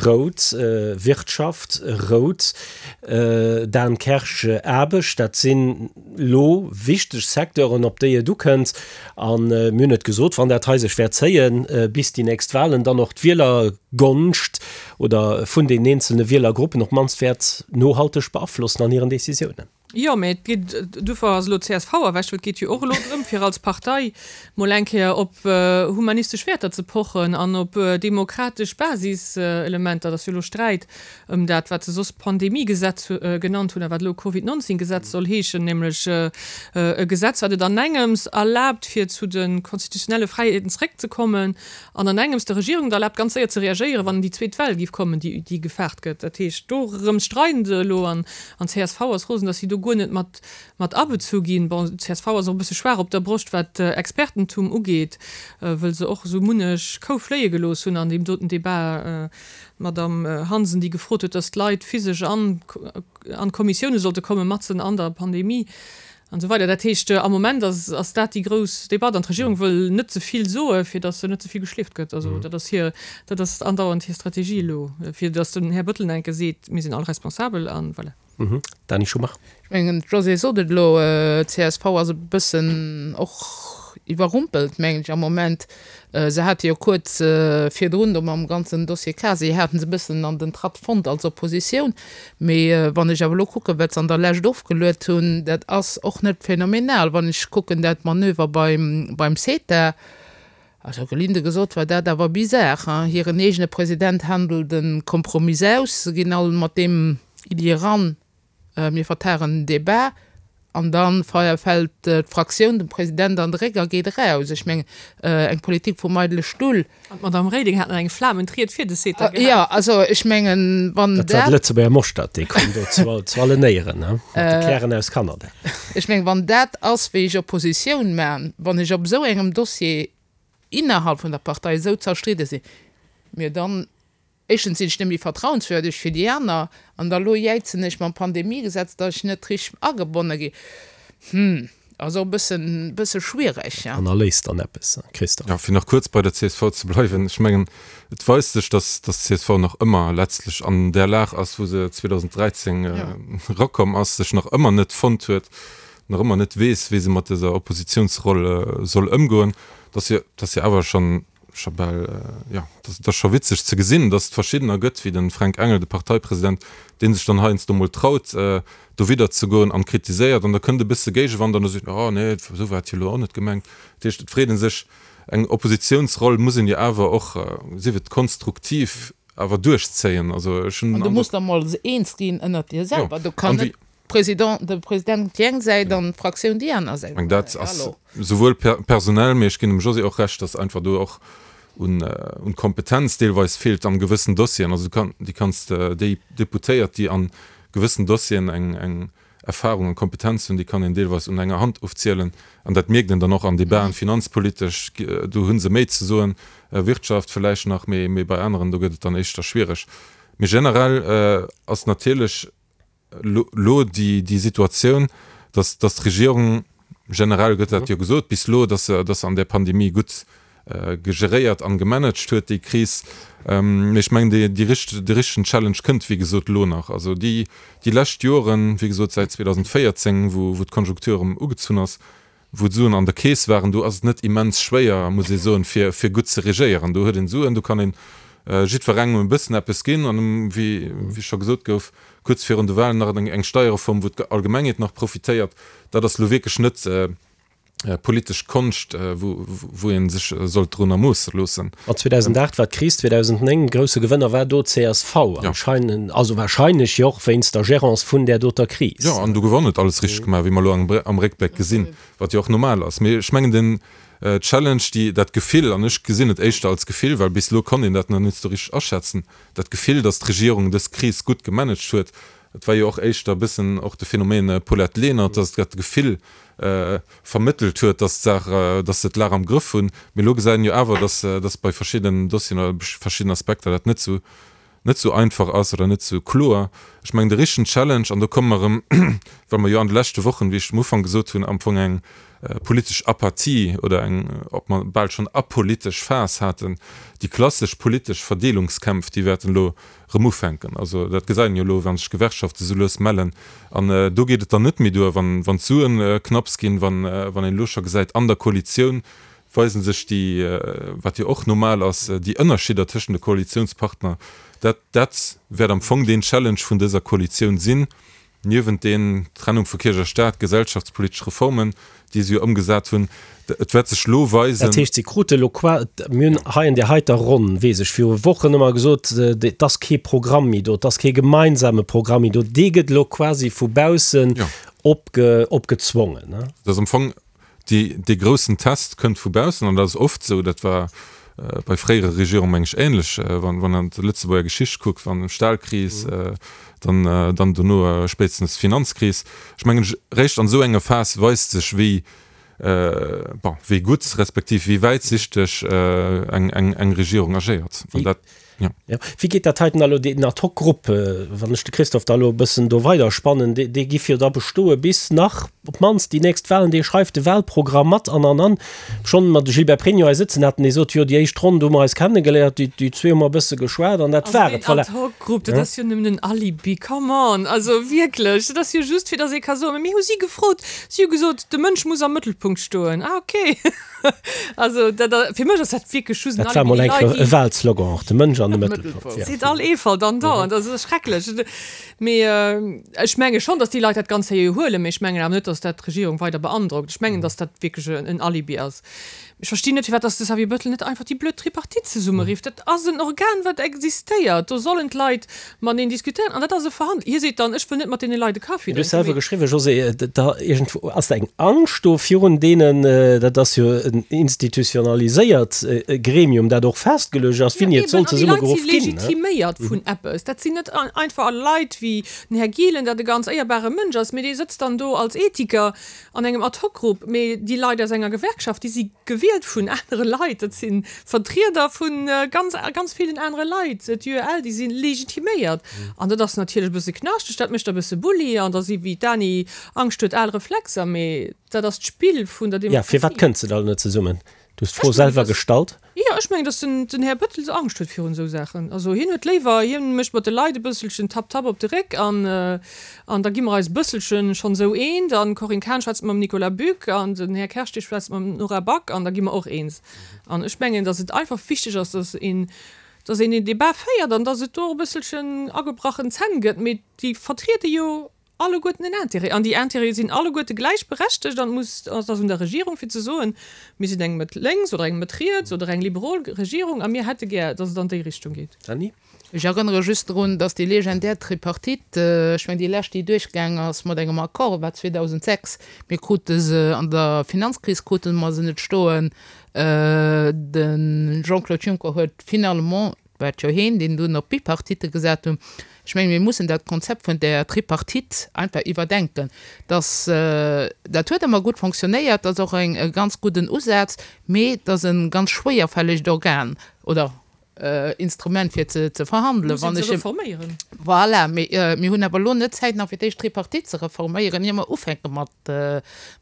rout, Wirtschaft, rout, Dan Kersch, Aarbecht, dat sinn elo wichteg Secteuren, op déi et ukënnt. A mir hunn et gesot, wann dat hei sech wäert zéien bis déi nächst Wahlen, dann och d'Wielergonscht oder vun den eenzelne Wielergruppen op d'mannst wäert nohalteg beaflossen an hiren Décisiounen. Jo, mä et geet, duerfir ass elo d'C S V erwächt, well et geet jo och elo drëm, fir als Partei mol eng Kéier op humanistesch Wäerter ze pochen an op demokratesch Basiselementer. Et ass jo elo Sträit ëm dat, wat se soss Pandemiegesetz genannt hunn a wat elo Covid neunzehn Gesetz soll heeschen, nämlech e Gesetz, wat et an engems erlaabt, fir zu de konstitutionelle Fräiheeten zréckzekommen an an engems der Regierung et erlaabt, ganz séier ze reagéieren, wann déi zweet Well géif kommen, déi gefaart gëtt. Dat heescht, dorëms streiden se elo an d'C S V ass rosen, datt si do guer net mat mat abezu ginn. Bon, d'C S V ass och e bësse schwaach op der Broscht, wat Expertentum ugeet, wëll se och esou munnech Kou fléie gelooss hunn an deem doten Debat. D'Madame Hansen, déi gefrot huet, datt d'Leit physesch an an d'Kommissioune sollte kommen, matzen an der Pandemie an esou weider. Dat heescht, am Moment ass ass dat déi grouss Debatt an d'Regierung wëll net ze vill soe fir datt se net ze vill geschleeft gëtt. Also dat ass hir, dat ass andauernd hir Strategie elo, fir datt den Här Bettel enke seet, mir sinn all responsabel an voilà. Dani Schumacher. Ech mengen, d'Josée sot et elo, d'C S V ass e bëssen och iwwerrumpelt, mengen ech, am Moment. Se hate jo kuerz virdrun do mam ganzen Dossier Casier hate se e bëssen an den Tratt fonnt als Oppositioun. Mee wann ech awer elo kucken, wat se an der Lescht ofgeluet hunn, dat ass och net phänomenal. Wann ech kucken dat Manöver beim, beim CETA, also gelinde gesot war dat awer bizar, hein. Hiren eegene President handelt e Kompromiss aus, se ginn all mat deem Iddi eran, mir vertagen den Debat, an da fält d'Fraktioun dem President an de Réck a geet eraus. Ech mengen, eng Politik vum eidele Stull. An d'Madame Reding hat nach eng flamend Ried fir de CETA gehat. Jo, also ech mengen, wann Dat war de Lëtzebuerger Moschtert, dee koum do zu allen Éieren, mat de Kären aus Kanada. Ech mengen, wann dat ass, wéi ech Oppositioun man, wann ech op esou engem Dossier innerhalb vun der Partei esou zerstridde sinn, mir dann, éischtens sinn ech net méi vertrauenswürdeg fir déi aner, an da lo jäizen ech mam Pandemiegesetz, datt ech net richteg agebonne ginn. Hm, ass och e bëssen, bësse schwiereg, ja. An erléist dann eppes, Christophe. Jo, fir nach kuerz bei der csv ze bleiwen, ech mengen, et weist sech, dass, dass d'CSV nach ëmmer letztlech an där Lag ass, wou se zweedausend dräizéng erakomm ass, sech nach ëmmer net fonnt huet, nach ëmmer net weess, wéi se mat dëser Oppositionsroll soll ëmgoen. Dass jo, dass jo awer schonn, scho bal, jo, dat ass scho witzeg ze gesinn, dass et verschiddener gëtt, wéi de Fränk Engel, de Parteipresident, dee sech dann heiansdo mol traut, dowidder ze goen an kritiséiert, an da kënnt e bësse Géigewand an da seet en, oh nee, esou war et jo elo och net gemengt. Dat heescht, et freet ee sech, eng Oppositionsroll muss een jo awer och, sief et konstruktiv, awer duerchzéien. Also ech hunn An den du muss Androck. der mol eens ginn ënnert dir Jo, selwer. Do kann an net wéi. Président, de President déi eng Säit an d'Fraktioun déi aner Säit. Ech mengen, dat ass Hallo. souwuel per personell, mee ech ginn dem Josée och Recht, dass einfach do och un, un Kompetenz deelweis feelt an gewëssen Dossieren. Also du kann, déi kanns de, déi Deputéiert, déi an gewëssen Dossieren eng, eng Erfahrung an Kompetenz hunn, déi kann een deelweis un enger Hand ofzielen. An dat mierkt een dann och an Debaten, finanzpolitesch, do hu se méi ze soen, Wirtschaft vläicht nach, mee, mee bei aneren, do gëtt et dann éischter schwiereg. Mee generell ass natierlech elo déi, déi Situatioun, dass, dass d'Regierung, generell gëtt dat jo gesot bis elo, dass se, dass se an där Pandemie gutt geréiert an gemanagt huet, déi Kris. Mee ech mengen, déi, déi richt, de richtegen Challenge kënnt, wéi gesot, elo nach. Also déi, déi lescht Joren, wéi gesot, säit zweedausendvéierzéng, wou, wou d'Konjunktur erëm ugezunn ass, wou d'Suen an der Keess waren, do ass et net immens schwéier, muss ee soen, fir, fir gutt ze regéieren. Do huet een Suen, do kann een jiddwerengem e bëssen eppes ginn an, wéi, wéi scho gesot gouf, kuerz virun de Wahlen nach eng, eng Steierreform, wou d'Allgemengheet nach profitéiert. Dat ass elo wierklech net politesch Konscht, wou, wou ee sech sollt drunner moosse loossen. An zweedausendaacht war d'Kris, zweedausendnéng, grousse Gewënner war do d'CSV anscheinend, also wahrscheinlech jo och wéinst der Gérance vun där doter Kris. Jo, an do gouf och net alles richteg gemaach, wéi mer elo am Réckbléck gesinn, wat jo och normal ass. Mee ech mengen, den Challenge, déi, dat Gefill, an ech gesinn et éischter als Gefill, well bis elo konnt een dat nach net esou richteg aschätzen, dat Gefill, datt d'Regierung dës Kris gutt gemanagt huet, et war jo och éischter e bëssen och de Phänomen Paulette Lenert, datt dat Gefill vermëttelt huet, datt d'Saach, datt se d'Lag am Grëff hunn. Mee elo gesäit een jo awer, datt, datt bei verschiddenen Dossieren oder verschiddenen Aspekter dat net esou, net esou einfach ass oder net esou kloer. Ech mengen, de richtegen Challenge, an do komme mer erëm, well mer jo an de leschte Wochen, wéi ech am Ufank gesot hunn, am Fong eng politesch Apathie oder eng, ob mer bal schonn apolitesch Phas haten, déi klassesch politesch Verdeelungskämpf, déi wäerten elo erëm ufänken. Also dat gesäit een jo elo, wa sech d'Gewerkschafte sou lues mellen. An do geet et dann net méi duer, wann d'Suen knapps ginn, wann een elo scho gesäit an der Koalitioun, weisen sech déi, wat jo och normal ass, déi Ënnerschidder tëschent de Koalitiounspartner. Dat, dat wäert am Fong deen Challenge vun dëser Koalitioun sinn, niewent den Trennung vu Kierch a Staat, gesellschaftspolitesch Reformen, déi se jo ëmgesat hunn. Et wäert sech elo weisen. Dat heescht, si krute elo qua, mir hunn hei an där heiter Ronn, weess ech, viru Wochen ëmmer gesot, et ass kee Programm méi do, et ass kee gemeinsame Programm méi do. Dee gëtt elo quasi vu baussen opge, opgezwongen. Dat ass am Fong Déi, dee groussen Test kënnt vu baussen, an dat ass oft esou, dat war bei fréiere Regierungen, meng ech, ähnlech, wann, wann een an d'Lëtzebuerger Geschicht kuckt, wann Stahlkris, dann, dann dono spéitstens d'Finanzkris. Ech mengen, réischt an esou enger Phas weist sech, wéi, bon, wéi gutt respektiv wéi wäitsichteg eng, eng, eng Regierung agéiert. An dat. Ja. Wéi geet dat heiten elo, deen Ad-hoc-Grupp, wann ech de Christophe da elo e bëssen do weiderspannen, dee, dee giff jo da bestoe bis nach op d'mannst déi nächst Wahlen, dee schreift de Wahlprogramm mat an, an, an. Schonn mat de Gilbert Pregno hei sëtzen haten, dee sot, jo déi éischt Ronn, do hu mer eis kennegeléiert, déi, déi zwee hu mer e bësse geschwat an dat Also war deen et, voilà. Ad-hoc-Grupp, dat ass jo nëmmen en Alibi, come on! Also wierklech, dat ass jo just fir datt ee ka soen, mä mir hu si gefrot, si hu gesot, de Mënsch muss am Mëttelpunkt stoen. Ah okay. Also dat, fir mech ass dat wierklech just en Dat war Alibi. mol Déi eng Leit, Kéier e déi. Wahlslogan och, de Mënsch an de Mëttelpunkt, ja. Seet all Eefalt andauernd, also dat ass schrecklech. Mee ech menge schonn, datt déi Leit dat ganz seriö huelen, mee ech mengen awer net, datt dat d'Regierung weider beandrockt. Ech mengen, datt dat wierklech en Alibi ass. Ech verstinn net, firwat datt de Xavier Bettel net einfach déi blöd Tripartite zesummerifft. Dat ass en Organ, wat existéiert. Do sollen d'Leit mateneen diskutéieren an dat ass e Verhandl. Hie seet dann, ech wëll net mat deene Leit e Kaffi Du hues drénken, selwer mee. geschriwwen, Josée, da iergendwou ass da eng Angscht do virun deenen, dat ass jo en institutionaliséiert Gremium, dat och festgeluecht ass, Ja, wéini et eben, soll an déi Leit Leit si geruff ginn, ne? legitiméiert vun eppes. Dat sinn net einfach Leit wéi den Här Gielen, dat e ganz éierbare Mënsch ass, mee dee sëtzt dann do als Ethiker an engem Ad-hoc-Grupp. Mee déi Leit aus enger Gewerkschaft, déi si gewielt vun anere Leit, dat si Vertrieder vu ganz, ganz villen anere Leit, d'UEL, déi si legitiméiert. An dat ass natierlech e bësse knaschteg, dat mécht e bësse Bulli an da si wéi d'Dany Angscht huet, al Reflexer, mee dat ass d'Spill vun der Ja, firwat Demokratie. kënnt se dann net zesummen? Du hues d'Fro Ech mengen, selwer dass, gestallt. jo, ech mengen, dass den, den Här Bettel Angscht huet virun esou Saachen. Also hien huet léiwer, hien mécht mat de Leit e bësselchen Tapp Tapp op de Réck an, an da gi mer eis e bësselchen schonn esou eent an d'Corinne Cahen schwätzt mam Nicolas Buck an den Här Kersch dee schwätzt mam Nora Back an da gi mer och eens. An ech mengen, dass et einfach wichteg ass, dass een, dass een een Debat féiert an dass et do och e bësselchen agebrachen Zänn gëtt, mee déi vertriede jo alleguerten en Intérêt an déi Intérêtë sinn alleguerte gläichberechtegt an et muss, et ass un der Regierung fir ze soen, mir sinn eng Mëtt lénks oder eng Mëtt riets oder eng liberol Regierung a mir hätte gär, dass et an déi Richtung geet. Dany? Ech erënnere just drun, dass déi legendär Tripartite, ech mengen déi lescht déi duerchgaang ass mat engem Accord, war zweedausendsechs. Mir krute se an der Finanzkris krute mer se net stoen. De Jean-Claude Juncker huet finalement, war et jo heen, deen dunn op d'Bipartite gesat hunn. Ech mengen, mir mussen dat Konzept vun där Tripartite einfach iwwerdenken. Dass, dat huet ëmmer gutt fonctionnéiert, dat ass och eng, e ganz gudden Usaz, mee et ass e ganz schwéierfällegt Organ oder Instrument fir ze, ze verhandelen. Muss een Wann se ech. reforméieren. Voilà, mee mir hunn awer elo net Zäit nach fir d'éischt d'Tripartite ze reforméieren, ier mer ufänke mat,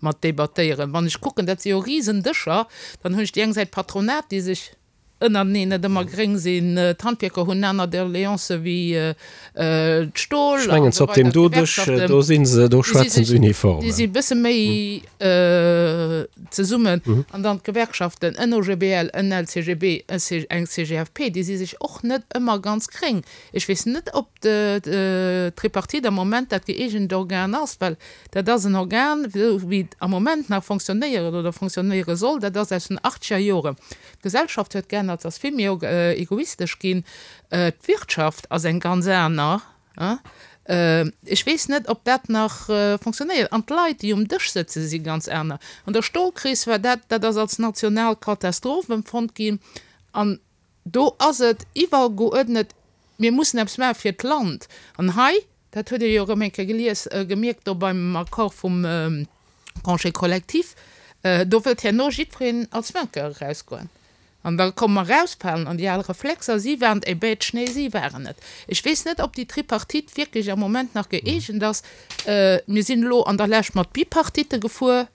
mat debattéieren. Wann ech kucken, dat si jo Risendëscher, dann hunn ech déi eng Säit d'Patronat, déi sech ënnerteneen net ëmmer gréng sinn, d'Handwierker hunn aner Doleancë wéi d'Stol Ech an mengen, esou op deem weider, do Dësch, d'Gewerkschaften, do si se, do déi si schwätzen sech, se uniform. déi si e bësse méi zesummen. An dann d'Gewerkschaften, en O G B L, en L C G B, eng C G F P, déi si sech och net ëmmer ganz gréng. Ech weess net, ob d'Tripartite am Moment dat gëeegent Organ ass, well dat ass en Organ, esou wéi et am Moment nach fonctionnéiert oder fonctionnéiere soll, dat ass aus den achtzeger Joren. D'Gesellschaft huet geännert, ass vill méi egoistesch ginn, d'Wirtschaft ass eng ganz aner. Ech weess net, ob dat nach fonctionnéiert. An d'Leit, déi um Dësch sëtzen, si ganz aner. An der Stolkris war dat, dat ass als national Katastroph empfonnt ginn. An do ass et iwwergeuerdnet, mir mussen eppes maache fir d'Land. An hei, dat huet Dir jo erëm eng Kéier gelies, gemierkt do beim Accord vum Congé collectif, do wëllt herno jiddwereen als Vainqueur erausgoen. An da komme mer erausfalen an déi al Reflexer, si waren et, eh nee, si waren et. Ech weess net, ob déi Tripartite wierklech am Moment nach gëeegent ass. Mir sinn elo an der Lescht mat Bipartite gefuer,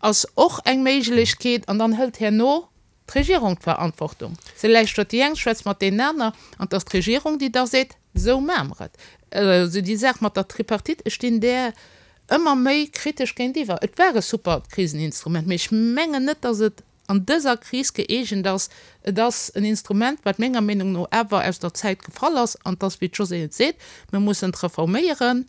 ass och eng Méiglechkeet. An dann hëlt herno d'Regierung d'Verantwortung. Se lauschtert déi eng, schwätzt mat deenen aner, an et ass d'Regierung, déi da seet, Esou maache mer et. Also déi Saach mat der Tripartite, ech stinn där ëmmer méi kritesch géintiwwer. Et war e supert Kriseninstrument, mee ech mengen net, datt et an dëser Kris gëeegent ass. Et ass en Instrument, wat menger Meenung no awer aus der Zäit gefall ass, an et ass, wéi d'Josée et seet, mir mussen et reforméieren,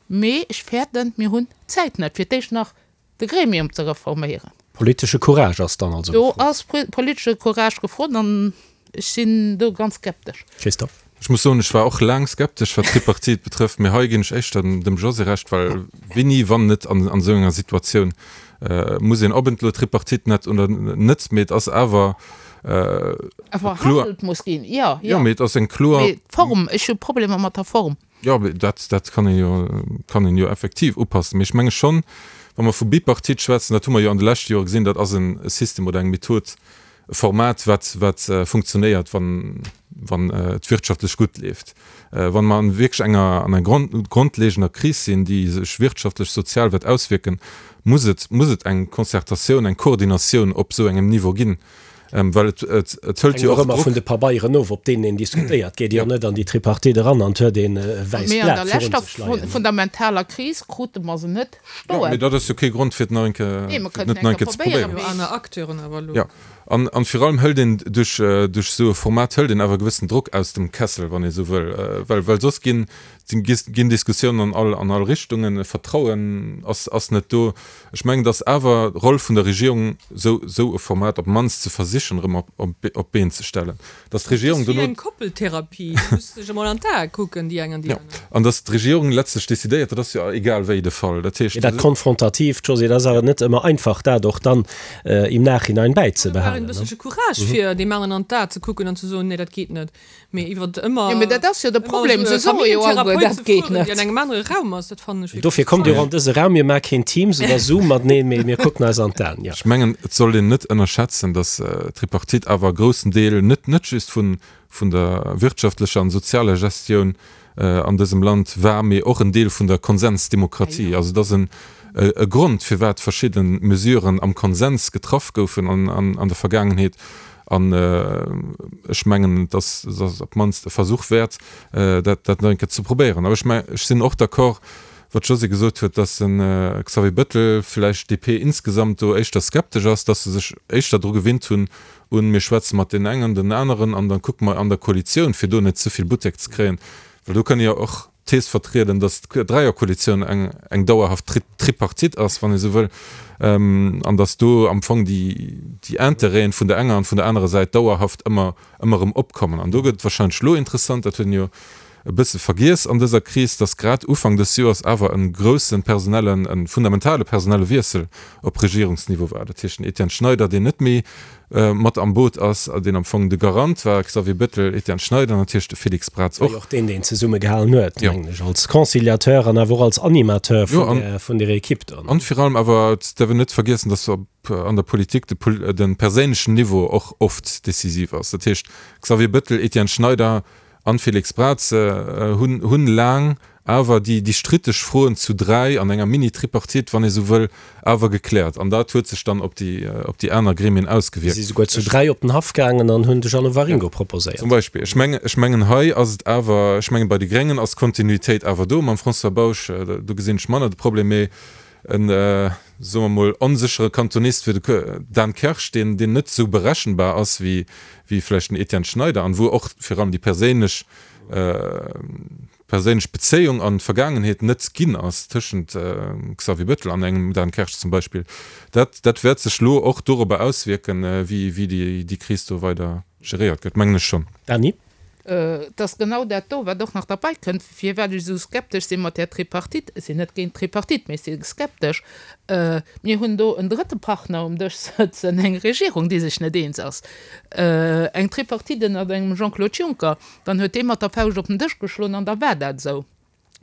mee ech fäerten, mir hunn d'Zäit net, fir d'éischt nach de Gremium ze reforméieren. Politesche Courage ass dann also Do gefrot. ass politesche Courage gefrot an ech sinn do ganz skeptesch. Christophe. Ech muss soen, ech war och laang skeptesch, wat d'Tripartite betrëfft, mee hei ginn ech éischter dem Josée Recht, well wéini, wann net an esou enger Situatioun, muss een, ob et elo Tripartite net oder net, mee et ass awer kloer. Verhandelt muss ginn, jo, jo. Jo, mee et ass eng kloer. Mee d'Form, ech hu Problemer mat der Form. Jo, mee dat, dat kann een jo, kann een jo effektiv upassen. Mee ech menge schonn, wa mer vu Bipartite schwätzen, dat hu mer jo an de leschte Jore gesinn, dat ass en System oder eng Method, e Format, wat, wat funktionéiert, wann, wann et wirtschaftlech gutt leeft. Wann mer an wierklech enger, an enger grondlegender Kris sinn, déi sech wirtschaftlech, sozial wäert auswierken, muss et, muss et eng Concertatioun, eng Koordinatioun op esou engem Niveau ginn, well et, et, et hëlt Hänkt jo och och ëmmer Drock. vun de Pabeieren of, op deenen een diskutéiert. Geet Dir net an déi Tripartite eran an huet een e wäisst Mee an Blat der virun leschter sech leien. fundamentaler Kris krute mer se net Jo, mee stoen. dat ass jo kee Grond, fir et nach eng Kéier, Nee, mer fir et kënnten net nach eng eng Kéier Kéier ze probéieren, probéieren. Jo, mee. aner Acteuren awer elo. Jo, an, an virun allem hëlt een duerch, duerch esou e Format hëlt een awer e gewëssen Drock aus dem Kessel, wann ee sou wëll, well, well soss ginn ginn Diskussiounen an all, an all Richtungen, e Vertrauen ass, ass net do. Ech mengen, dass awer d'Roll vun der Regierung, sou, sou e Format op d'mannst ze versichen erëm op, op, op d'Been ze stellen, dass d'Regierung dono. Dat ass wéi eng Koppeltherapie, du muss sech emol an d'Ae kucken, déi eng an déi aner. Jo, an dass d'Regierung letztlech decidéiert, dat ass jo egal wéi de Fall. Dat heescht. Dat Konfrontatiivt, Josée, dat ass awer net ëmmer einfach, dat och dann im Nachhinein bäizebehalen. Da brauch een e bësselche Courage, fir deem aneren an d'A ze kucken an ze soen, Nee, dat geet net. Mee iwwer ëmmer. Jo, mee dat ass jo de Problem, se soe jo alleguer, dat geet net. Déi an engem anere Raum ass, dat fannen ech wierklech. Dofir kommt Dir och an dëse Raum, mir maache keen Teams oder Zoom mateneen, mee mir kucken eis an d'Aen, jo. Ech mengen, et sollt een net ënnerschätzen, datt d'Tripartite awer e groussen Deel net net just vun vun der wirtschaftlecher an sozialer Gestioun an dësem Land war, mee och en Deel vun der Konsensdemokratie. Also et ass en e Grond, firwat verschidde Mesuren am Konsens getraff goufen an an der Vergaangenheet. An ech mengen, et ass op d'mannst e Versuch wäert, dat nach eng Kéier ze probéieren. Awer ech mengen, ech sinn och d'accord, wat d'Josée gesot huet, dass de Xavier Bettel, vläicht d'DP insgesamt do éischter skeptesch ass, dass se sech éischter dru gewinnt hunn un, mir schwätze mat deenen engen, den aneren an da kucke mer an der Koalitioun, fir do net ze vill Buttek ze kréien, well do kënne jo och d'Thees vertrieden, datt d'Dräierkoalitioun eng, eng dauerhaft Tripartite ass, wann ee sou wëll, an datt do am Fong déi, déi Intérêten vun der enger an vun der anerer Säit dauerhaft ëmmer, ëmmer erëm opkommen. An do gëtt et wahrscheinlech elo interessant, dat huet een jo e bësse vergiess an dëser Kris, datt grad Ufank dës Joers awer e grousse personellen, e fundamentale personelle Wiessel op Regierungsniveau war. Dat heescht den Etienne Schneider, deen net méi mat am Boot ass, deen am Fong de Garant war, Xavier Bettel, Etienne Schneider, natierlech de Félix Braz och. Och deen, deen zesummegehalen huet, mengen ech, als Conciliateur an awer och als Animateur vun der Equipe dann. An virun allem awer, et däerf een net vergiessen, datt an der Politik de perséinlechen Niveau och oft decisiv ass. Dat heescht, Xavier Bettel, Etienne Schneider an Félix Braz hunn laang awer déi déi stritteg Froen zu dräi an enger Mini-Tripartite, wann ee sou wëll, awer gekläert. An dat huet sech dann op déi op déi aner Gremien ausgewierkt. Si si souguer zu dräi op den Haff gaangen an hunn de Jeannot Waringo proposéiert. Zum Beispill. Ech mengen, ech mengen hei ass et awer, ech mengen bei de Gréngen ass d'Kontinuitéit awer do mam François Bausch, do gesinn ech manner de Problem, mee en, soe mer mol, onséchere Kantonist wéi de Dan Kersch, deen deen net esou berechenbar ass wéi wéi vläicht den Etienne Schneider an wou och virun allem déi perséinlech perséinlech Bezéiung an d'Vergaangenheet net ginn ass tëschent Xavier Bettel an engem Dan Kersch zum Beispill, dat dat wäert sech elo och dorobber auswierken, wéi wéi déi déi Kris do weider geréiert gëtt, mengen ech schonn. Dany? Et ass genau dat do, wat och nach derbäi kënnt, firwat ech esou skeptesch si mat där Tripartite. Ech sinn net géint d'Tripartite, mee ech si skeptesch. Mir hunn do en drëtte Partner um Dësch sëtzen, eng Regierung, déi sech net eens ass. Eng Tripartite ënnert engem Jean-Claude Juncker, dann huet dee mat der Fauscht op den Dësch geschloen an da war dat esou.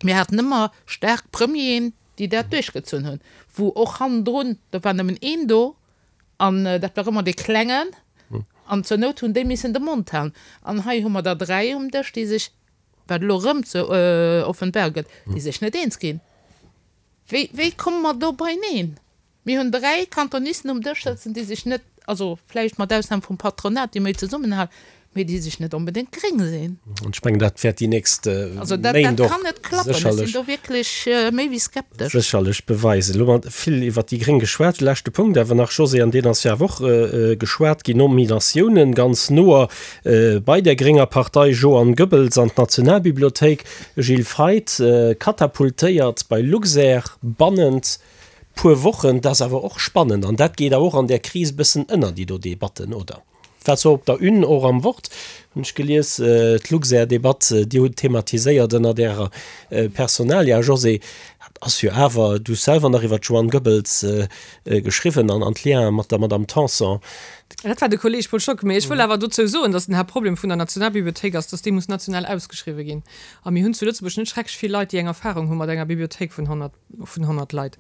Mir haten ëmmer staark Premieren, déi dat duerchgezunn hunn, wou och hannendrun, do war nëmmen een do an dat war ëmmer dee Klengen an zur Nout hunn déi missen de Mond halen. An hei hu mer der dräi um Dësch, déi sech, wat elo erëm ze offenbar gëtt, déi sech net eens ginn. Wéi, wéi komme mer do beineen? Mir hunn dräi Kantonisten um Dësch sëtzen, déi sech net, also vläicht mat Ausnam vum Patronat, déi méi zesummenhalen, mee déi sech net onbedéngt gréng sinn. An ech mengen, dat wäert déi nächst Also dat, dat Méint och kann net klappen. Ech sinn sécherlech, do wierklech méi wéi skeptesch. sécherlech beweisen. Elo hu mer vill iwwert déi Gréng geschwat. Leschte Punkt awer nach, Josée, an deen ass jo awer och geschwat ginn, Nominatiounen ganz noer bei der grénger Partei, Joanne Goebbels an d'Nationalbibliothéik, Gilles Feith katapultéiert bei Luxair bannent puer Wochen. Dat ass awer och spannend an dat geet awer och an där Kris e bëssen ënner, déi do Debatten, oder? War zwar op der Une, och am Wort hunn ech gelies, d'Luxair-Debatt, Dir hutt thematiséiert ënnert Ärer Personalia, Josée, dat ass jo awer, du hues selwer nach iwwer d'Joanne Goebbels geschriwwen an an d'Liene mat der Madame Tanson. Dat war de Kolleeg Paul Schock. Mee ech wëll awer dozou soen, datt den Haaptproblem vun der Nationalbibliothéik ass, datt déi muss national ausgeschriwwen ginn. A mir hunn zu Lëtzebuerg net schrecklech vill Leit, déi eng Erfahrung hu mat enger Bibliothéik vun honnert vun honnert Leit.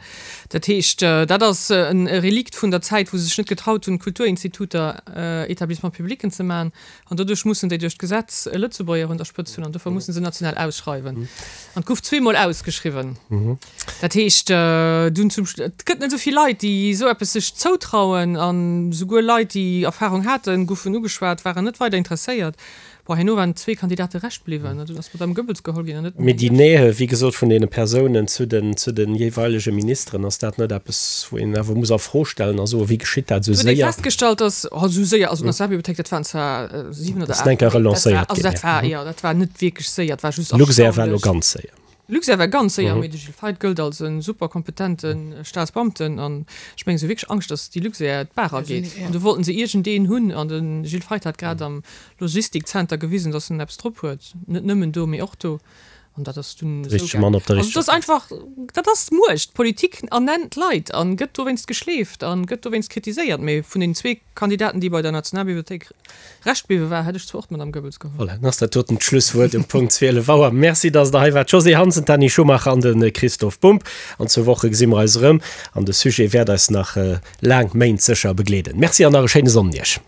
Dat heescht, dat ass e Relikt vun der Zäit, wou se sech net getraut hunn, Kulturinstituter Établissements publics ze maachen. An doduerch mussen déi duerch d'Gesetz e Lëtzebuerger un der Spëtzt hunn an dofir mussen se national ausschreiwen. An et gouf zweemol ausgeschriwwen. Dat heescht, dunn zum, et gëtt net esou vill Leit, déi esou eppes sech zoutrauen. An souguer Leit, déi Erfahrung haten, goufen ugeschwat, waren net weider interesséiert. Bon, herno waren zwee Kandidate Rescht bliwwen, an dunn ass d'Madame Goebbels geholl ginn an net den Mee Här déi Liesch. Nähe, wéi gesot, vun deene Persounen zu den, zu den jeeweilege Ministeren, ass dat net eppes, wou een awer muss a Fro stellen a soen, wéi geschitt dat esou Et huet ee séier? festgestallt, dass, oh, esou séier, also d'Nationalbibliothéik, dat waren zwar siwen oder Ass eng aacht Kéier Méint, dat war, relancéiert also ginn, dat ja. war, jo, dat war net wierklech séier, et war just Luxair war elo erstaunlech. ganz séier. Luxair war ganz séier, mee de Gilles Feith gëllt als e super kompetente Staatsbeamten an ech mengen, se hu wierklech Angscht, datt déi Luxair d'Baach ageet. An du wollten se iergendeen hunn an de Gilles Feith hat grad am Logistikzenter gewisen, datt en eppes drop huet, net nëmmen do, mee och do. An dat ass dunn esou Richtege Mann gaangen. op der Also et richteger ass Plaz. einfach, dat ass d'Muecht. D'Politik ernennt d'Leit a gëtt dowéinst geschleeft a gëtt dowéinst kritiséiert. Mee vun den zwee Kandidaten, déi bei der Nationalbibliothéik Rescht bliwwe war, hätt ech zwar och d'Madame Goebbels geholl. Voilà, dann ass dat doten d'Schlusswuert um Punkt zwielef Auer. Merci, dass Der hei waart, Josée Hansen, d'Dany Schumacher an de Christoph Bumb. An zwou Woche gesi mer eis erëm an de Sujet wäert eis nach laang Méint sécher begleeden. Merci an nach e schéine Sonnden Iech.